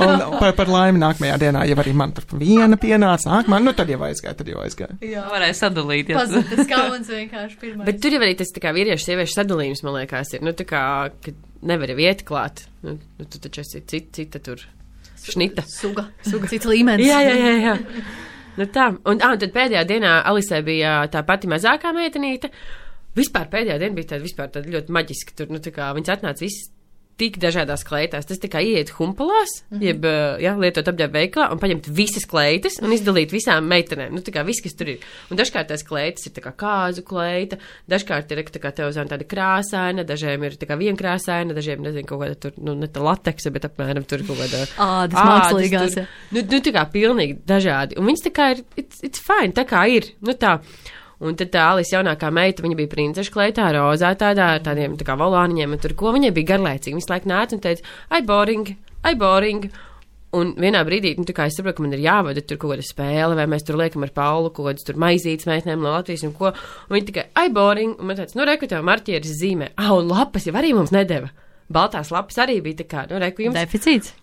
Speaker 3: par laimi nākamajā dienā, ja arī man tur viena pienāca, tad jau aizgāja.
Speaker 1: Jā, varēja sadalīt.
Speaker 2: Tas kauns vienkārši pirmais.
Speaker 4: Bet tur jau arī tas tā kā vīriešu sieviešu sadalījums, man liekas, ir, tā kā, kad nevar jau iet klāt. Tu taču esi cita tur šnita.
Speaker 2: Suga. Cits līmenis.
Speaker 4: Jā. Nu tā. Un tad pēdējā dienā Alisē bija tā pati mazākā meitenīte. Vispār pēdējā diena bija tāda ļoti maģiska. Tur, tā kā viņas atnāca viss tik dažādās kleitās. Tas tā kā ieiet humpalās, jeb, lietot apģērbu veikalā un paņemt visas kleitas un izdalīt visām meitenēm. Tā kā viss, kas tur ir. Un dažkārt tās kleitas ir tā kā kāzu kleita, dažkārt ir tā kā tev zina tāda krāsaina, dažiem ir tā kā vienkrāsaina, dažiem, nezinu, kaut kāda tur, ne tā lateksa, bet apmēram tur kaut kāda
Speaker 2: ādas mākslīgās.
Speaker 4: Tā kā pilnīgi dažādi. Un viņas tā kā ir, it's fine, tā kā ir. Tā. Un tad tā Alisa jaunākā meita, viņa bija princeša kleitā, rozā tādiem tā kā volāniņiem, un tur ko viņai bija garlaicīgi. Visu laiku nāca un teica, ai boring. Un vienā brīdī, tā kā es saprotu, ka man ir jāvada tur kaut kāda spēle, vai mēs tur liekam ar Paulu kaut kādas tur maizītes meitnēm no Latvijas un ko. Un viņa tikai, ai boring. Un man teica, reku tev marķieris zīmē. Un lapas jau arī mums nedeva. Baltās lapas arī bija tā kā, reku jums.
Speaker 2: Deficīts.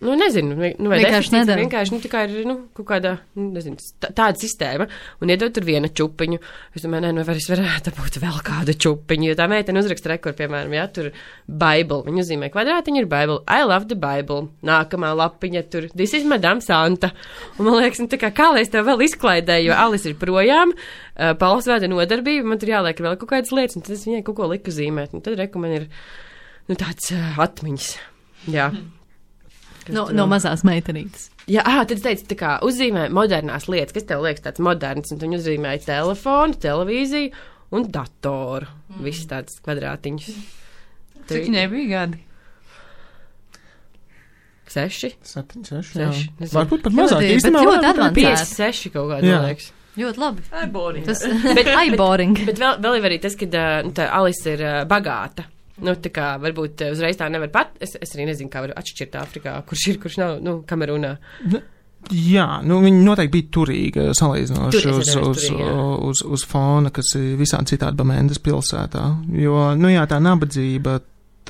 Speaker 4: Nezinu, vai
Speaker 2: vienkārši nedara.
Speaker 4: Vienkārši, tā kā ir, kaut kāda, nezinu, tāda sistēma, un iedod tur viena čupiņu. Es domāju, vai es varētu būt vēl kādu čupiņu, jo tā meitene uzraksta rekordu, piemēram, tur Bible, viņa uzzīmē kvadrātiņu, ir Bible, I love the Bible, nākamā lapiņa tur, this is Madame Santa, un man liekas, tā kā lai es tev vēl izklaidēju, jo Alice ir projām, Pauls vēda nodarbība, man tur jāliek vēl kaut kādas lietas, un tad es viņai kaut ko liku zīmēt, un tad reku man ir, tāds atmiņas, jā.
Speaker 2: No mazās meitenītes.
Speaker 4: Jā, tad es teicu, tā kā uzzīmē modernās lietas, kas tev liekas tāds moderns, un viņi uzzīmēja telefonu, televīziju un datoru. Visas tādas kvadrātiņas.
Speaker 1: Cik viņai bija gadi?
Speaker 4: 6.
Speaker 3: 7, 6.
Speaker 4: 6.
Speaker 3: Varbūt pat mazāk.
Speaker 2: Bet ļoti advancēti.
Speaker 4: 5, 6 kaut kādā, man liekas.
Speaker 2: Ļoti labi.
Speaker 1: Boring.
Speaker 4: Bet vēl ir arī tas, ka tā Alisa ir bagāta. Tā kā varbūt uzreiz tā nevar es arī nezinu, kā var atšķirt Āfrikā, kurš ir, kurš nav, Kamerūnā.
Speaker 3: Jā, viņa noteikti bija turīga, salīdzinoši uz fona, kas ir visādi citādi Bamendas pilsētā. Jo, tā nabadzība,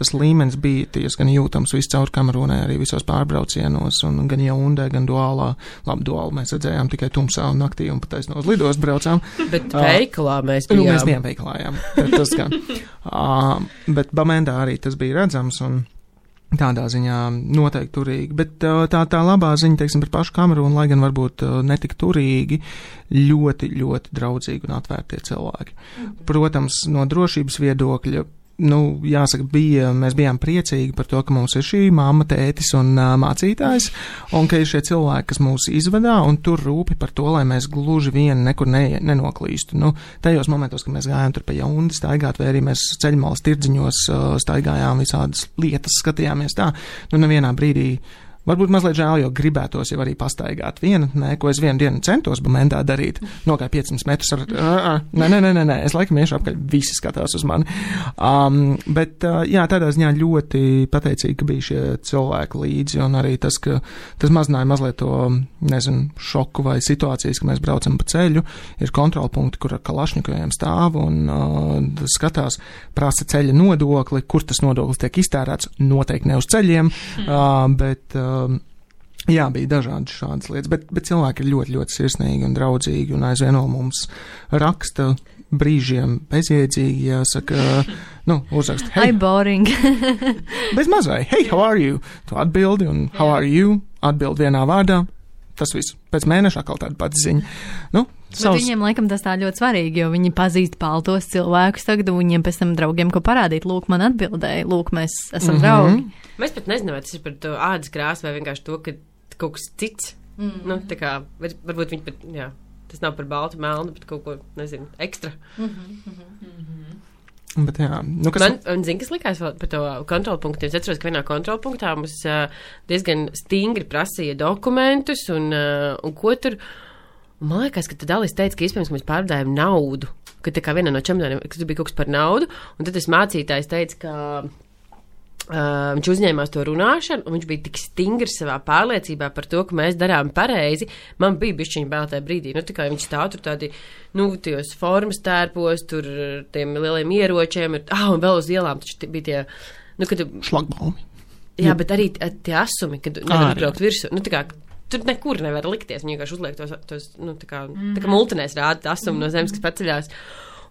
Speaker 3: tas līmenis bija diezgan jūtams viscaur Kamerūnai, arī visos pārbraucienos, un gan Jaundē, gan Duālā. Labi, Duālu mēs redzējām tikai tumsā un naktī, un pat no uz lidostu braucām.
Speaker 4: Bet veikalā mēs bijām.
Speaker 3: Mēs bijām veikalā, jā. Tas gan. Bet Bamendā arī tas bija redzams, un tādā ziņā noteikti turīgi. Bet tā labā ziņa, teiksim, par pašu Kamerūnu, lai gan varbūt netik turīgi, ļoti, ļoti draudzīgi un atvērtie cilvēki. Protams, no drošības viedokļa, jāsaka, mēs bijām priecīgi par to, ka mums ir šī mamma, tētis un mācītājs, un ka ir šie cilvēki, kas mūs izvadā, un tur rūpi par to, lai mēs gluži vien nekur nenoklīstu. Tajos momentos, kad mēs gājām tur pa Jaundi staigāt, vai arī mēs ceļmalas tirdziņos staigājām visādas lietas, skatījāmies tā, nevienā brīdī. Varbūt mazliet žēl, jo gribētos jau arī pastaigāt ko es vienu dienu centos Bamendā darīt. Nogāju 500 metrus ar, nē, es laikam iešu apkaļ, visi skatās uz mani. Bet, tādā ziņā ļoti pateicīgi, ka bija šie cilvēki līdzi, un arī tas, ka tas mazināja mazliet to, šoku vai situācijas, ka mēs braucam pa ceļu, ir kontrolpunkti, kur ar kalašņikoviem stāv, un skatās, prasa ceļa nodokli, kur tas nodoklis tiek iztērēts, noteikti ne uz ceļiem, bet jā, bija dažādas šādas lietas, bet cilvēki ir ļoti, ļoti sirsnīgi un draudzīgi, un aizvien vēl mums raksta brīžiem bezjēdzīgi, jāsaka, uzrakst, hey,
Speaker 2: boring.
Speaker 3: bez mazai, hey, how are you? Tu atbildi, un how are you? Atbild vienā vārdā. Tas viss. Pēc mēneša atkal tāda pati ziņa.
Speaker 2: Bet viņiem, laikam, tas tā ļoti svarīgi, jo viņi pazīst paltos cilvēkus tagad, un viņiem pēc tam draugiem, ko parādīt, lūk, man atbildēja, lūk, mēs esam draugi.
Speaker 4: Mēs pat nezinām, vai tas ir par to ādas krāsu, vai vienkārši to, ka kaut kas cits. Tā kā, varbūt viņi pat, tas nav par baltu melnu, bet kaut ko, nezinu, ekstra.
Speaker 3: Bet jā, nu, kas...
Speaker 4: Man zin, kas likās vēl par to kontrolpunktu. Es atceros, ka vienā kontrolpunktā mums diezgan stingri prasīja dokumentus un ko tur. Un man liekas, ka tad Alis teica, ka iespējams, ka mēs pārvadājam naudu. Ka tā kā vienā no čemodāniem, ka tur bija kaut kas par naudu. Un tad tas mācītājs teica, ka viņš uzņēmās to runāšanu, un viņš bija tik stingrs savā pārliecībā par to, ka mēs darām pareizi. Man bija bišķiņa bail tajā brīdī. Nu, tā kā viņš stāv tur tādi, nu, tajos formas tērpos, tur tiem lieliem ieročiem, un vēl uz ielām taču bija tie, nu, kad...
Speaker 3: Šlagbaumi.
Speaker 4: Jā, bet arī tie asumi, kad nevar braukt virsū. Nu, tā kā, tur nekur nevar likties. Viņi vienkārši uzliek tos, nu, tā kā multinēs rāda asumi no zemes, kas paceļās.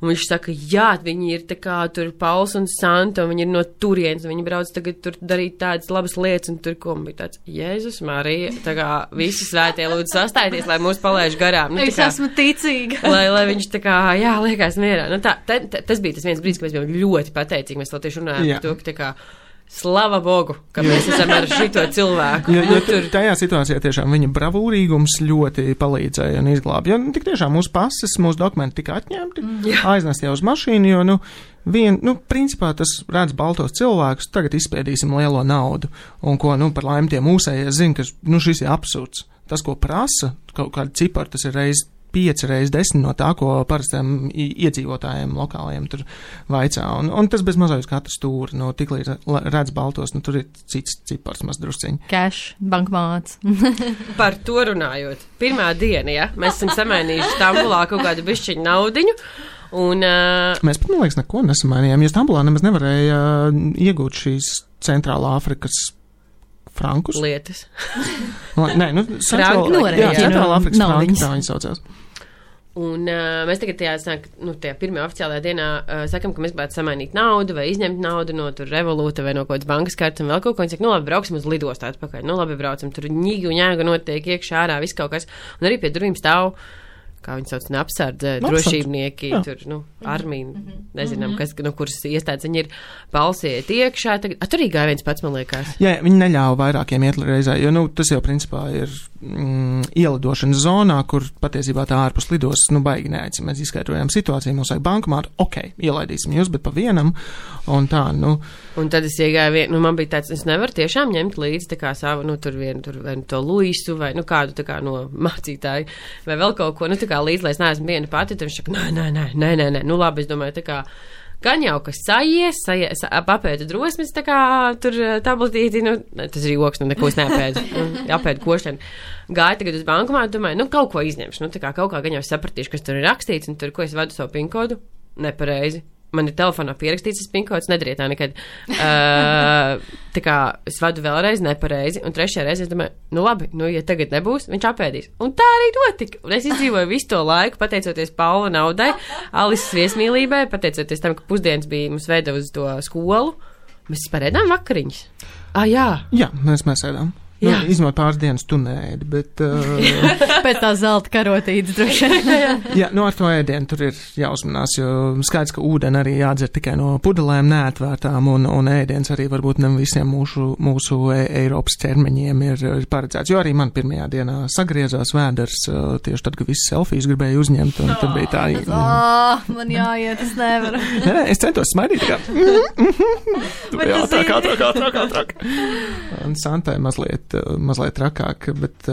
Speaker 4: Un viņš saka, jā, viņi ir tā kā tur Pauls un Santa, un viņi ir no turienes, un viņi brauc tagad tur darīt tādas labas lietas, un tur ko bija tāds, Jēzus Marija, tā kā visi svētie lūdzu sastājieties, lai mūs palaiž garām. Nu,
Speaker 2: es esmu ticīga.
Speaker 4: Lai viņš tā kā, jā, liekās mierā. Nu, tas bija tas viens brīdis, ka mēs bijām ļoti pateicīgi, mēs vēl tieši runājām par to, ka tā kā, slava Bogu, ka mēs esam ar šito cilvēku.
Speaker 3: Jo tajā situācijā tiešām viņa bravūrīgums ļoti palīdzēja un izglāba. Jo tik tiešām mūsu pases, mūsu dokumenti tika atņemti, aiznest jau uz mašīnu, jo, principā tas redz baltos cilvēkus, tagad izspiedīsim lielo naudu. Un ko, par laimi tie mūsējie zina, ka, šis ir absurds. Tas, ko prasa, kaut kāda cipara, tas ir reiz 5 reiz 10 no tā, ko parastiem iedzīvotājiem lokālajiem tur vaicā. Un tas bez mazā uz katru stūri, tik līdz redz baltos, tur ir cits cipars maz drusciņi.
Speaker 2: Cash, bankmāts.
Speaker 4: Par to runājot. Pirmā diena, ja? Mēs esam samainījuši Stambulā kaut kādu bišķiņu naudiņu. Un,
Speaker 3: Mēs pat, man liekas, neko nesamainījām, jo Stambulā nemaz nevarēja iegūt šīs Centrālā Afrikas frankus.
Speaker 4: Lietas.
Speaker 3: Nē, Centrālā Afrikas franki, tā viņi saucās.
Speaker 4: Un mēs tagad tajā pirmajā oficiālajā dienā sakam, ka mēs gribētu samainīt naudu vai izņemt naudu no tur Revolūta vai no kaut kādas bankas kartes un vēl kaut ko. Viņi saka, labi, brauksim uz lidostā atpakaļ. Labi, braucam, tur ņīgi un ņēga notiek iekšā ārā, viss kaut kas. Un arī pie durvīm stāv, kā viņi sauc, neapsardze, drošībnieki, tur, armija, nezinām, kas, kuras iestādes viņi ir balsiet iekšā. Tur arī gāja viens pats, man liekas.
Speaker 3: Jā, viņi neļāva vairākiem iet reizē, jo, tas jau principā ir ielidošanas zonā, kur patiesībā tā ārpus lidos, baigi neaicina. Mēs izskaidrojām situāciju, mums vajag bankomātu, ielaidīsim jūs, bet pa vienam, un tā,
Speaker 4: Un tad es iegāju, man bija tāds, es nevaru tiešām ņemt līdzi tā kā savu, vai to Luisu, vai, kādu tā kā no mācītāju, vai vēl kaut ko, tā kā līdzi, lai es neesmu viena pati, tad viņš saka, nē, labi, es domāju, tā kā, gan jau, kas sajies, apēdu drosmes, tā kā tur tabletīti, tas ir joks, neko es neapēdu, apēdu košļanu. Gāju tagad uz bankomātu, domāju, kaut ko izņemšu, tā kā kaut kā gan jau sapratīšu, kas tur ir rakstīts, un tur, ko es vadu savu pinkodu, nepareizi. Man ir telefonā pierakstīts, tas pinkods, nedariet tā nekad. Tā kā es vadu vēlreiz nepareizi, un trešajā reizē es domāju, labi, ja tagad nebūs, viņš apēdīs. Un tā arī notika. Un es izdzīvoju visu to laiku, pateicoties Paula naudai, Alises viesmīlībai, pateicoties tam, ka pusdienas bija mums veida uz to skolu. Mēs spērēdām vakariņas. Jā.
Speaker 3: Jā, mēs ēdām. Izņemot pāris dienas tu neēdi, bet...
Speaker 2: Pēc tā zelta karotītes droši vien.
Speaker 3: Jā, ar to ēdienu tur ir jāuzmanās, jo skaidrs, ka ūdeni arī jādzer tikai no pudelēm neatvērtām, un ēdiens arī varbūt ne visiem mūsu Eiropas ķermeņiem ir paredzēts, jo arī man pirmajā dienā sagriezās vēders, tieši tad, kad visi selfijas gribēja uzņemt, un tad bija tā...
Speaker 2: Man jāiet, es nevaru.
Speaker 3: Es centos smaidīt, kā... Tu bija ātrāk. Un Santai mazliet trakāk, bet...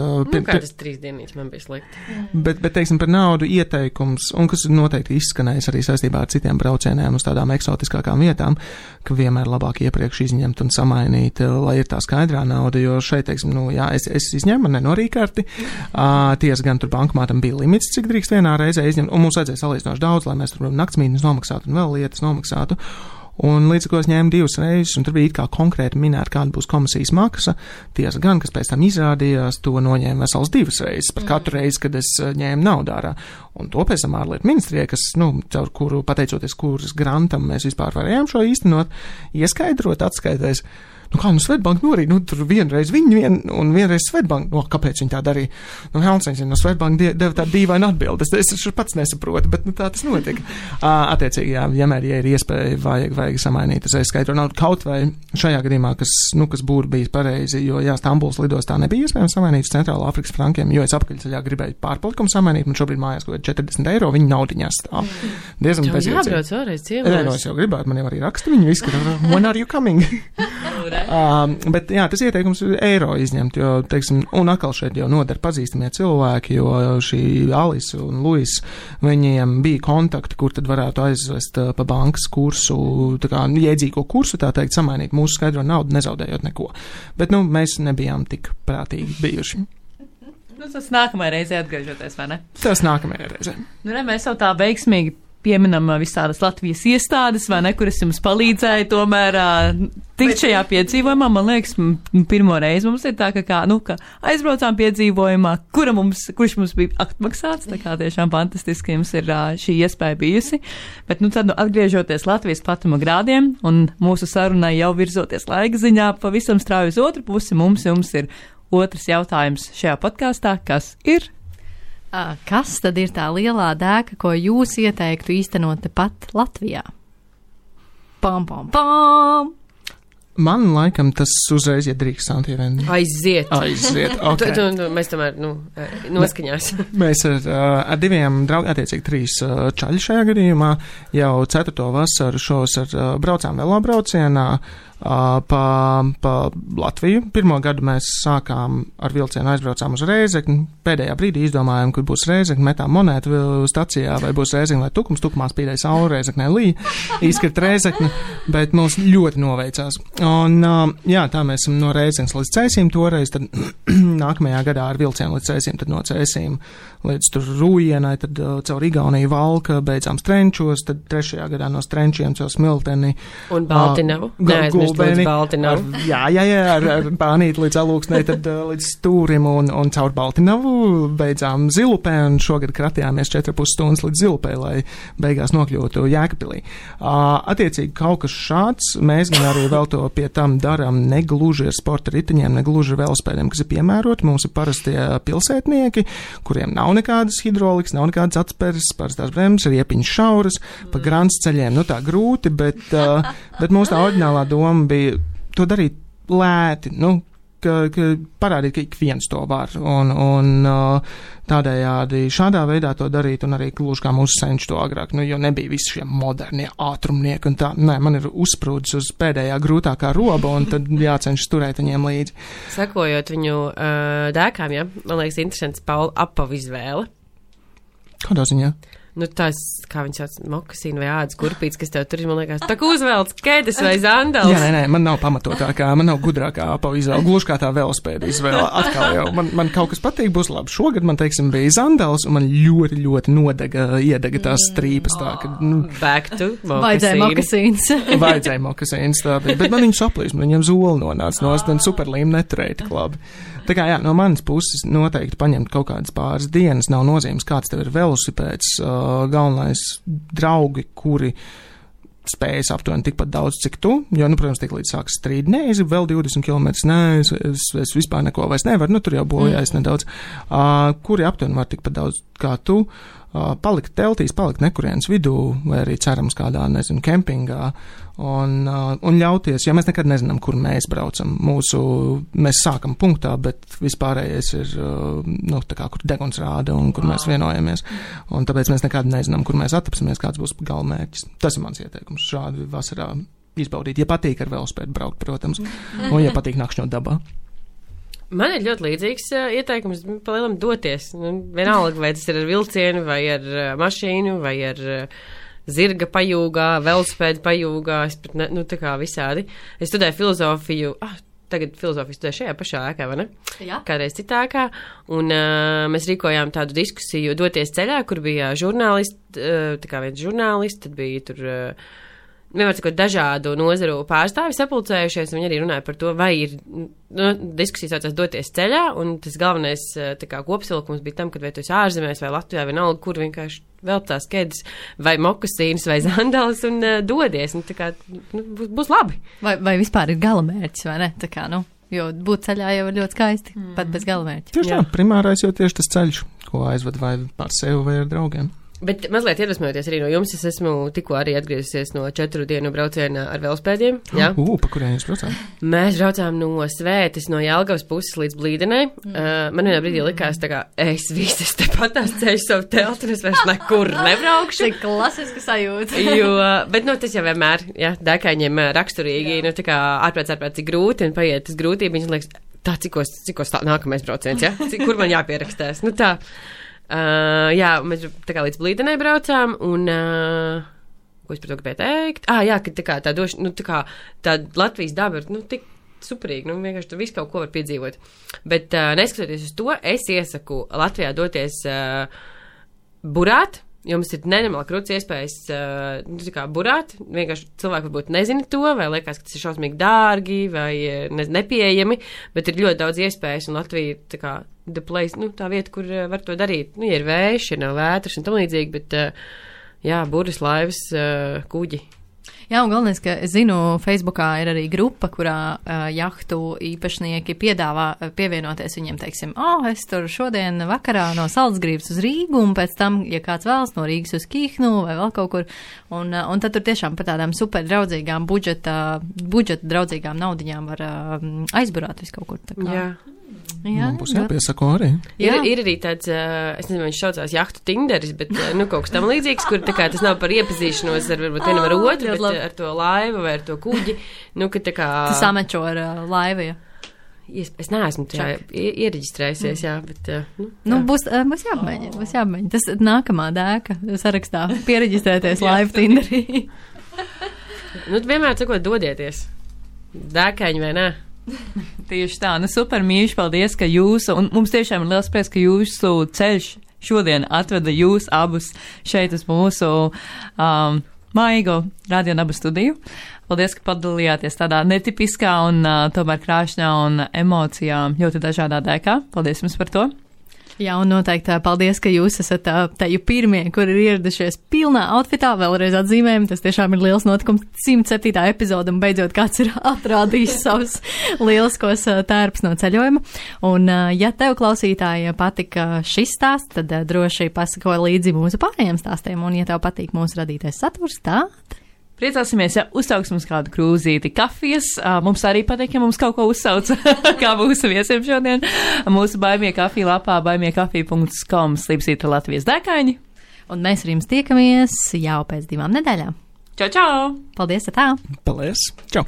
Speaker 4: Kādas 3 dienas man bija slikti.
Speaker 3: Bet, teiksim, par naudu ieteikums, un kas noteikti izskanējis arī saistībā ar citiem braucieniem uz tādām eksotiskākām vietām, ka vienmēr labāk iepriekš izņemt un samainīt, lai ir tā skaidrā nauda, jo šeit, teiksim, es izņēmu, nenorīkārti, tiesa gan tur bankomātam bija limits, cik drīkst vienā reizē izņemt, un mums vajadzēja salīdzinoši daudz, lai mēs tur naktsmītnes nomaksātu un vēl lietas nomaksātu. Un līdz ko es ņēmu 2 reizes, un tur bija kā konkrēti minēta, kāda būs komisijas maksa. Tiesa gan, kas pēc tam izrādījās, to noņēma vesels 2 reizes par katru reizi, kad es ņēmu naudu ārā. Un to pēc tam ārlietu ministrijai, kas, caur kuru, pateicoties kuras grantam, mēs vispār varējām šo īstenot, ieskaidrot atskaitēs. Svetbank norīt, tur vienreiz un vienreiz Svetbank, kāpēc viņi tā darīja? Helsiņš no Svetbank deva tādu dīvainu atbildi. Es pats nesaprotu, bet tā tas notika. Attiecīgi, jā, vienmēr, ja ir iespēja, vajag samainīt uz skaidro naudu. Kaut vai šajā gadījumā, kas būtu bijis pareizi, jo, jā, Stambuls lidostā nebija iespējams samainīt uz Centrālā Afrikas frankiem, jo es apkaļceļā gribēju pārpalikumu samainīt, man šobrīd mājās kaut kādi 40 eiro, viņa naudiņās stāv. Diezgan bezjēdzīgi.
Speaker 4: Jābrauc vēlreiz ciemos.
Speaker 3: Es jau gribētu, man jau arī raksta, viņi visi, when are you coming? Bet jā, tas ieteikums ir eiro izņemt, jo, teiksim, un atkal šeit jau nodara pazīstamie cilvēki, jo šī Alisa un Luis, viņiem bija kontakti, kur tad varētu aizvest pa bankas kursu, tā kā jēdzīgo kursu, tā teikt, samainīt mūsu skaidro naudu, nezaudējot neko. Bet, mēs nebijām tik prātīgi bijuši.
Speaker 1: Tas nākamajā reizē atgriežoties, vai ne?
Speaker 3: Tas nākamajā reizē.
Speaker 1: Mēs jau tā veiksmīgi pieminam visādas Latvijas iestādes, vai ne, kuras jums palīdzēja tomēr tikt šajā piedzīvojumā. Man liekas, pirmo reizi mums ir tā, ka aizbraucām piedzīvojumā, kurš mums bija atmaksāts, tā kā tiešām fantastiski jums ir šī iespēja bijusi. Bet, tad atgriežoties Latvijas platuma grādiem un mūsu sarunai jau virzoties laika ziņā pavisam strauji uz otru pusi, jums ir otrs jautājums šajā podkāstā, kas ir?
Speaker 2: Kas tad ir tā lielā dēka, ko jūs ieteiktu īstenot tepat Latvijā? Pam, pam, pam!
Speaker 3: Man laikam tas uzreiz iedrīkst Santīvien.
Speaker 4: Aiziet.
Speaker 3: Okay.
Speaker 4: Mēs tomēr, noskaņās.
Speaker 3: Mēs ar diviem draugiem, attiecīgi 3 čaļi šajā gadījumā, jau 4. vasaru šos braucām velobraucienā pa Latviju. Pirmo gadu mēs sākām ar vilcienu, aizbraucām uz Rēzekni. Pēdējā brīdī izdomājām, kur būs Rēzekni, metām monētu stacijā, vai būs Rēzekni vai Tukums. Tukumā spīdēja saule, Rēzeknē līja, izkrit Rēzekni, bet mums ļoti noveicās. Un, jā, tā mēs esam no Rēzeknes līdz Cēsīm toreiz, tad nākamajā gadā ar vilcienu līdz Cēsīm, tad no Cēsīm līdz tur Rūjienai, tad caur Igauniju Valka, beidzām Strenčos, tad 3. gadā no Strenčiem caur Smilteni.
Speaker 4: Un Baltinavu.
Speaker 3: Jā, ar Bānīti līdz Alūksnei, tad līdz Stūrim un caur Baltinavu beidzām Zilupē, un šogad kratījāmies 4,5 stundas līdz Zilupē, lai beigās nokļūtu Jēkabpilī. Attiecīgi kaut kas šāds, mēs gan arī vēl to pie tam darām negluži ar sporta riteņiem, negluži ar velospēdiem, kas ir piemēroti. Mums ir parastie pilsētnieki, kuriem nav nekādas hidrolikas, nav nekādas atspēres, parastās bremzes, ir iepiņas šauras, pa grants ceļiem, tā grūti, bet mūsu tā oriģinālā doma bija to darīt lēti, ka parādīt, ka ik viens to var, un tādējādi šādā veidā to darīt, un arī gluži kā mūsu senči to agrāk, jo nebija visi šie modernie ātrumnieki, un tā, man ir uzsprūdis uz pēdējā grūtākā roba, un tad jācenšas turēt viņiem līdzi.
Speaker 4: Sakojot viņu dēkām, man liekas interesants Paula apavu izvēle.
Speaker 3: Kādā ziņā?
Speaker 4: Tās, kā viņi sauc, mokasīni vai ādas kurpītes, kas tev tur ir, man liekas, tā kā uzvelc kēdes vai zandals.
Speaker 3: Jā, nē, man nav pamatotākā, man nav gudrākā apavu izvēle, gluži kā tā velospēda izvēle. Atkal jau, man kaut kas patīk, būs labi. Šogad man, teiksim, bija zandals, un man ļoti, ļoti iedega tās strīpas tā, ka,
Speaker 4: Back to
Speaker 2: mokasīns.
Speaker 3: Vajadzēja mokasīns, tā bija, bet man viņu saplīst, man viņam zoli nonāca no un superlīm neturēja tik labi. Tā kā, jā, no manas puses noteikti paņemt kaut kādas pāris dienas, nav nozīmes, kāds tev ir velosipēds, galvenais draugi, kuri spējas aptuveni tikpat daudz, cik tu, jo, protams, tik līdz sāks strīdi, nē, es vēl 20 km, nē, es vispār neko vairs nevaru, tur jau bojājas nedaudz, kuri aptuveni var tikpat daudz kā tu, palikt teltīs, palikt nekurienes vidū, vai arī cerams kādā, kempingā, un ļauties, jo mēs nekad nezinām, kur mēs braucam. Mēs sākam punktā, bet vispārējais ir, tā kā, kur deguns rāda un kur mēs vienojamies. Un tāpēc mēs nekad nezinām, kur mēs atapsimies, kāds būs galamērķis. Tas ir mans ieteikums šādi vasarā izbaudīt. Ja patīk ar velospēdu braukt, protams, un ja patīk nakšņot dabā.
Speaker 4: Man ir ļoti līdzīgs ieteikums palielam doties. Vienalga, vai tas ir ar vilcienu, vai ar mašīnu, vai ar zirga pajūgā, velospēdu pajūgā, es pat tā kā visādi. Es studēju filozofiju, tagad filozofiju studēju šajā pašā ēkā, vai ne?
Speaker 2: Jā.
Speaker 4: Kādreiz citā ēkā, un mēs rīkojām tādu diskusiju doties ceļā, kur bija žurnālisti, tā kā viens žurnālists, tad bija tur vienmēr sakot, dažādu nozaru pārstāvi sapulcējušies, viņi arī runāja par to, vai ir, diskusijas saucās doties ceļā, un tas galvenais, tā kā kopsavilkums bija tam, kad vai tu esi ārzemēs, vai Latvijā, vai vienalga, kur vienkārši vēl tās kedis, vai mokasīnas, vai zandalas, un dodies, un tā kā, būs labi.
Speaker 2: Vai vispār ir galamērķis, vai ne? Tā kā, jo būt ceļā jau ir ļoti skaisti, pat bez galamērķa.
Speaker 3: Tieši tā, primārais jau tieši tas ceļš, ko aizved vai ar sevi vai ar draugiem.
Speaker 4: Bet mazliet iedvesmojoties arī no jums, es esmu tikko arī atgriezusies no 4 dienu brauciena ar velospēdiem. Jā.
Speaker 3: Pa kurien jūs braucām?
Speaker 4: Mēs braucām no Svētes, no Jelgavas puses līdz Blīdenai. Man vienā brīdī likās, tā kā es visas tepat tās ceļu savu teltu, un es vairs nekur nebraukšu.
Speaker 2: Tik klasiski sajūta.
Speaker 4: Bet, tas jau vienmēr, dēkaņiem raksturīgi, tā kā ārprāt, cik grūti, un paiet tas grūtība, viņas liekas, tā, cikos tā nākamais brauciens, kur man jāpierakstās. Tā. Mēs tā kā līdz Blīdenai braucām, un, ko es par to gribēju teikt? Ka tā kā tā došana, tā kā tā Latvijas daba ir, tik superīgi, vienkārši tur visu kaut ko var piedzīvot. Bet, neskatoties uz to, es iesaku Latvijā doties burāt. Jums ir nenormāli krūts iespējas burāt. Vienkārši cilvēki varbūt nezina to, vai liekas, ka tas ir šausmīgi dārgi, vai nepieejami, bet ir ļoti daudz iespējas, un Latvija ir tā kā the place, tā vieta, kur var to darīt. Ja ir vējš, ja nav vētras un tam līdzīgi, bet, buras, laivas, kuģi.
Speaker 2: Jā, un galvenais, ka es zinu, Facebookā ir arī grupa, kurā jahtu īpašnieki piedāvā pievienoties viņiem, teiksim, es tur šodien vakarā no Salcgrīvas uz Rīgu, un pēc tam, ja kāds vēlas no Rīgas uz Kihnu vai vēl kaut kur, un tad tur tiešām par tādām super draudzīgām budžeta draudzīgām naudiņām var aizburāt visu kaut kur. Tā kā.
Speaker 3: Jā, man būs jāpiesako arī.
Speaker 4: Ir arī tāds, es nezinu, viņš saucās jahtu Tinderis, bet, kaut kas tam līdzīgs, kur tā kā tas nav par iepazīšanos ar varbūt vienam ar otru, bet ar to laivu vai ar to kuģi, ka tā kā...
Speaker 2: Tas samečo ar laivu, ja?
Speaker 4: Es neesmu tajā iereģistrējusies, bet...
Speaker 2: Būs jāapmēģina. Tas nākamā dēka sarakstā piereģistrēties laivu Tinderī.
Speaker 4: Vienmēr sakot, dodieties. Dēkaņi vai ne?
Speaker 1: Tieši tā, super mīļš, paldies, ka jūsu, un mums tiešām ir liels prieks, ka jūsu ceļš šodien atveda jūs abus šeit uz mūsu maigo Radio Naba studiju. Paldies, ka padalījāties tādā netipiskā un tomēr krāšņā un emocijām ļoti dažādā dēkā. Paldies jums par to.
Speaker 2: Jā, un noteikti paldies, ka jūs esat teju pirmie, kur ir ieradušies pilnā outfitā, vēlreiz atzīmējam, tas tiešām ir liels notikums, 107. epizode, un beidzot kāds ir atrādījis savus lieliskos tērpus no ceļojuma. Un, ja tev, klausītāji, patika šis stāsts, tad droši pasako līdzi mūsu pārējiem stāstiem, un ja tev patīk mūsu radītais saturs, tad...
Speaker 1: Priecāsimies, ja uzsauks mums kādu krūzīti kafijas. Mums arī patīk, ja mums kaut ko uzsauc, kā mūsu viesiem šodien. Mūsu Baimie kafija lapā baimiekafija.com slīpsīta Latvijas dēkaini.
Speaker 2: Un mēs ar jums tiekamies jau pēc 2 nedēļām.
Speaker 1: Čau!
Speaker 2: Paldies, tā!
Speaker 3: Paldies! Čau!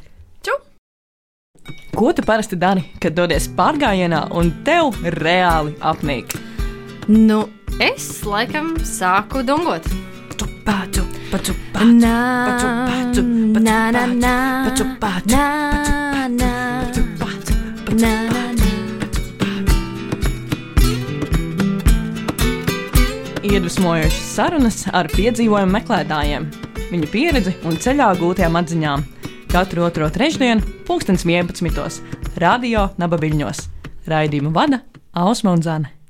Speaker 1: Ko tu parasti dari, kad dodies pārgājienā un tev reāli apnīk?
Speaker 2: Es laikam sāku dungot.
Speaker 1: Paču. Iedvesmojošas sarunas ar piedzīvojumu meklētājiem, viņu pieredzi un ceļā gūtajām atziņām. Katru otro trešdienu, 11:00, Radio Naba Viļņos. Raidījumu vada Ausma un Zane.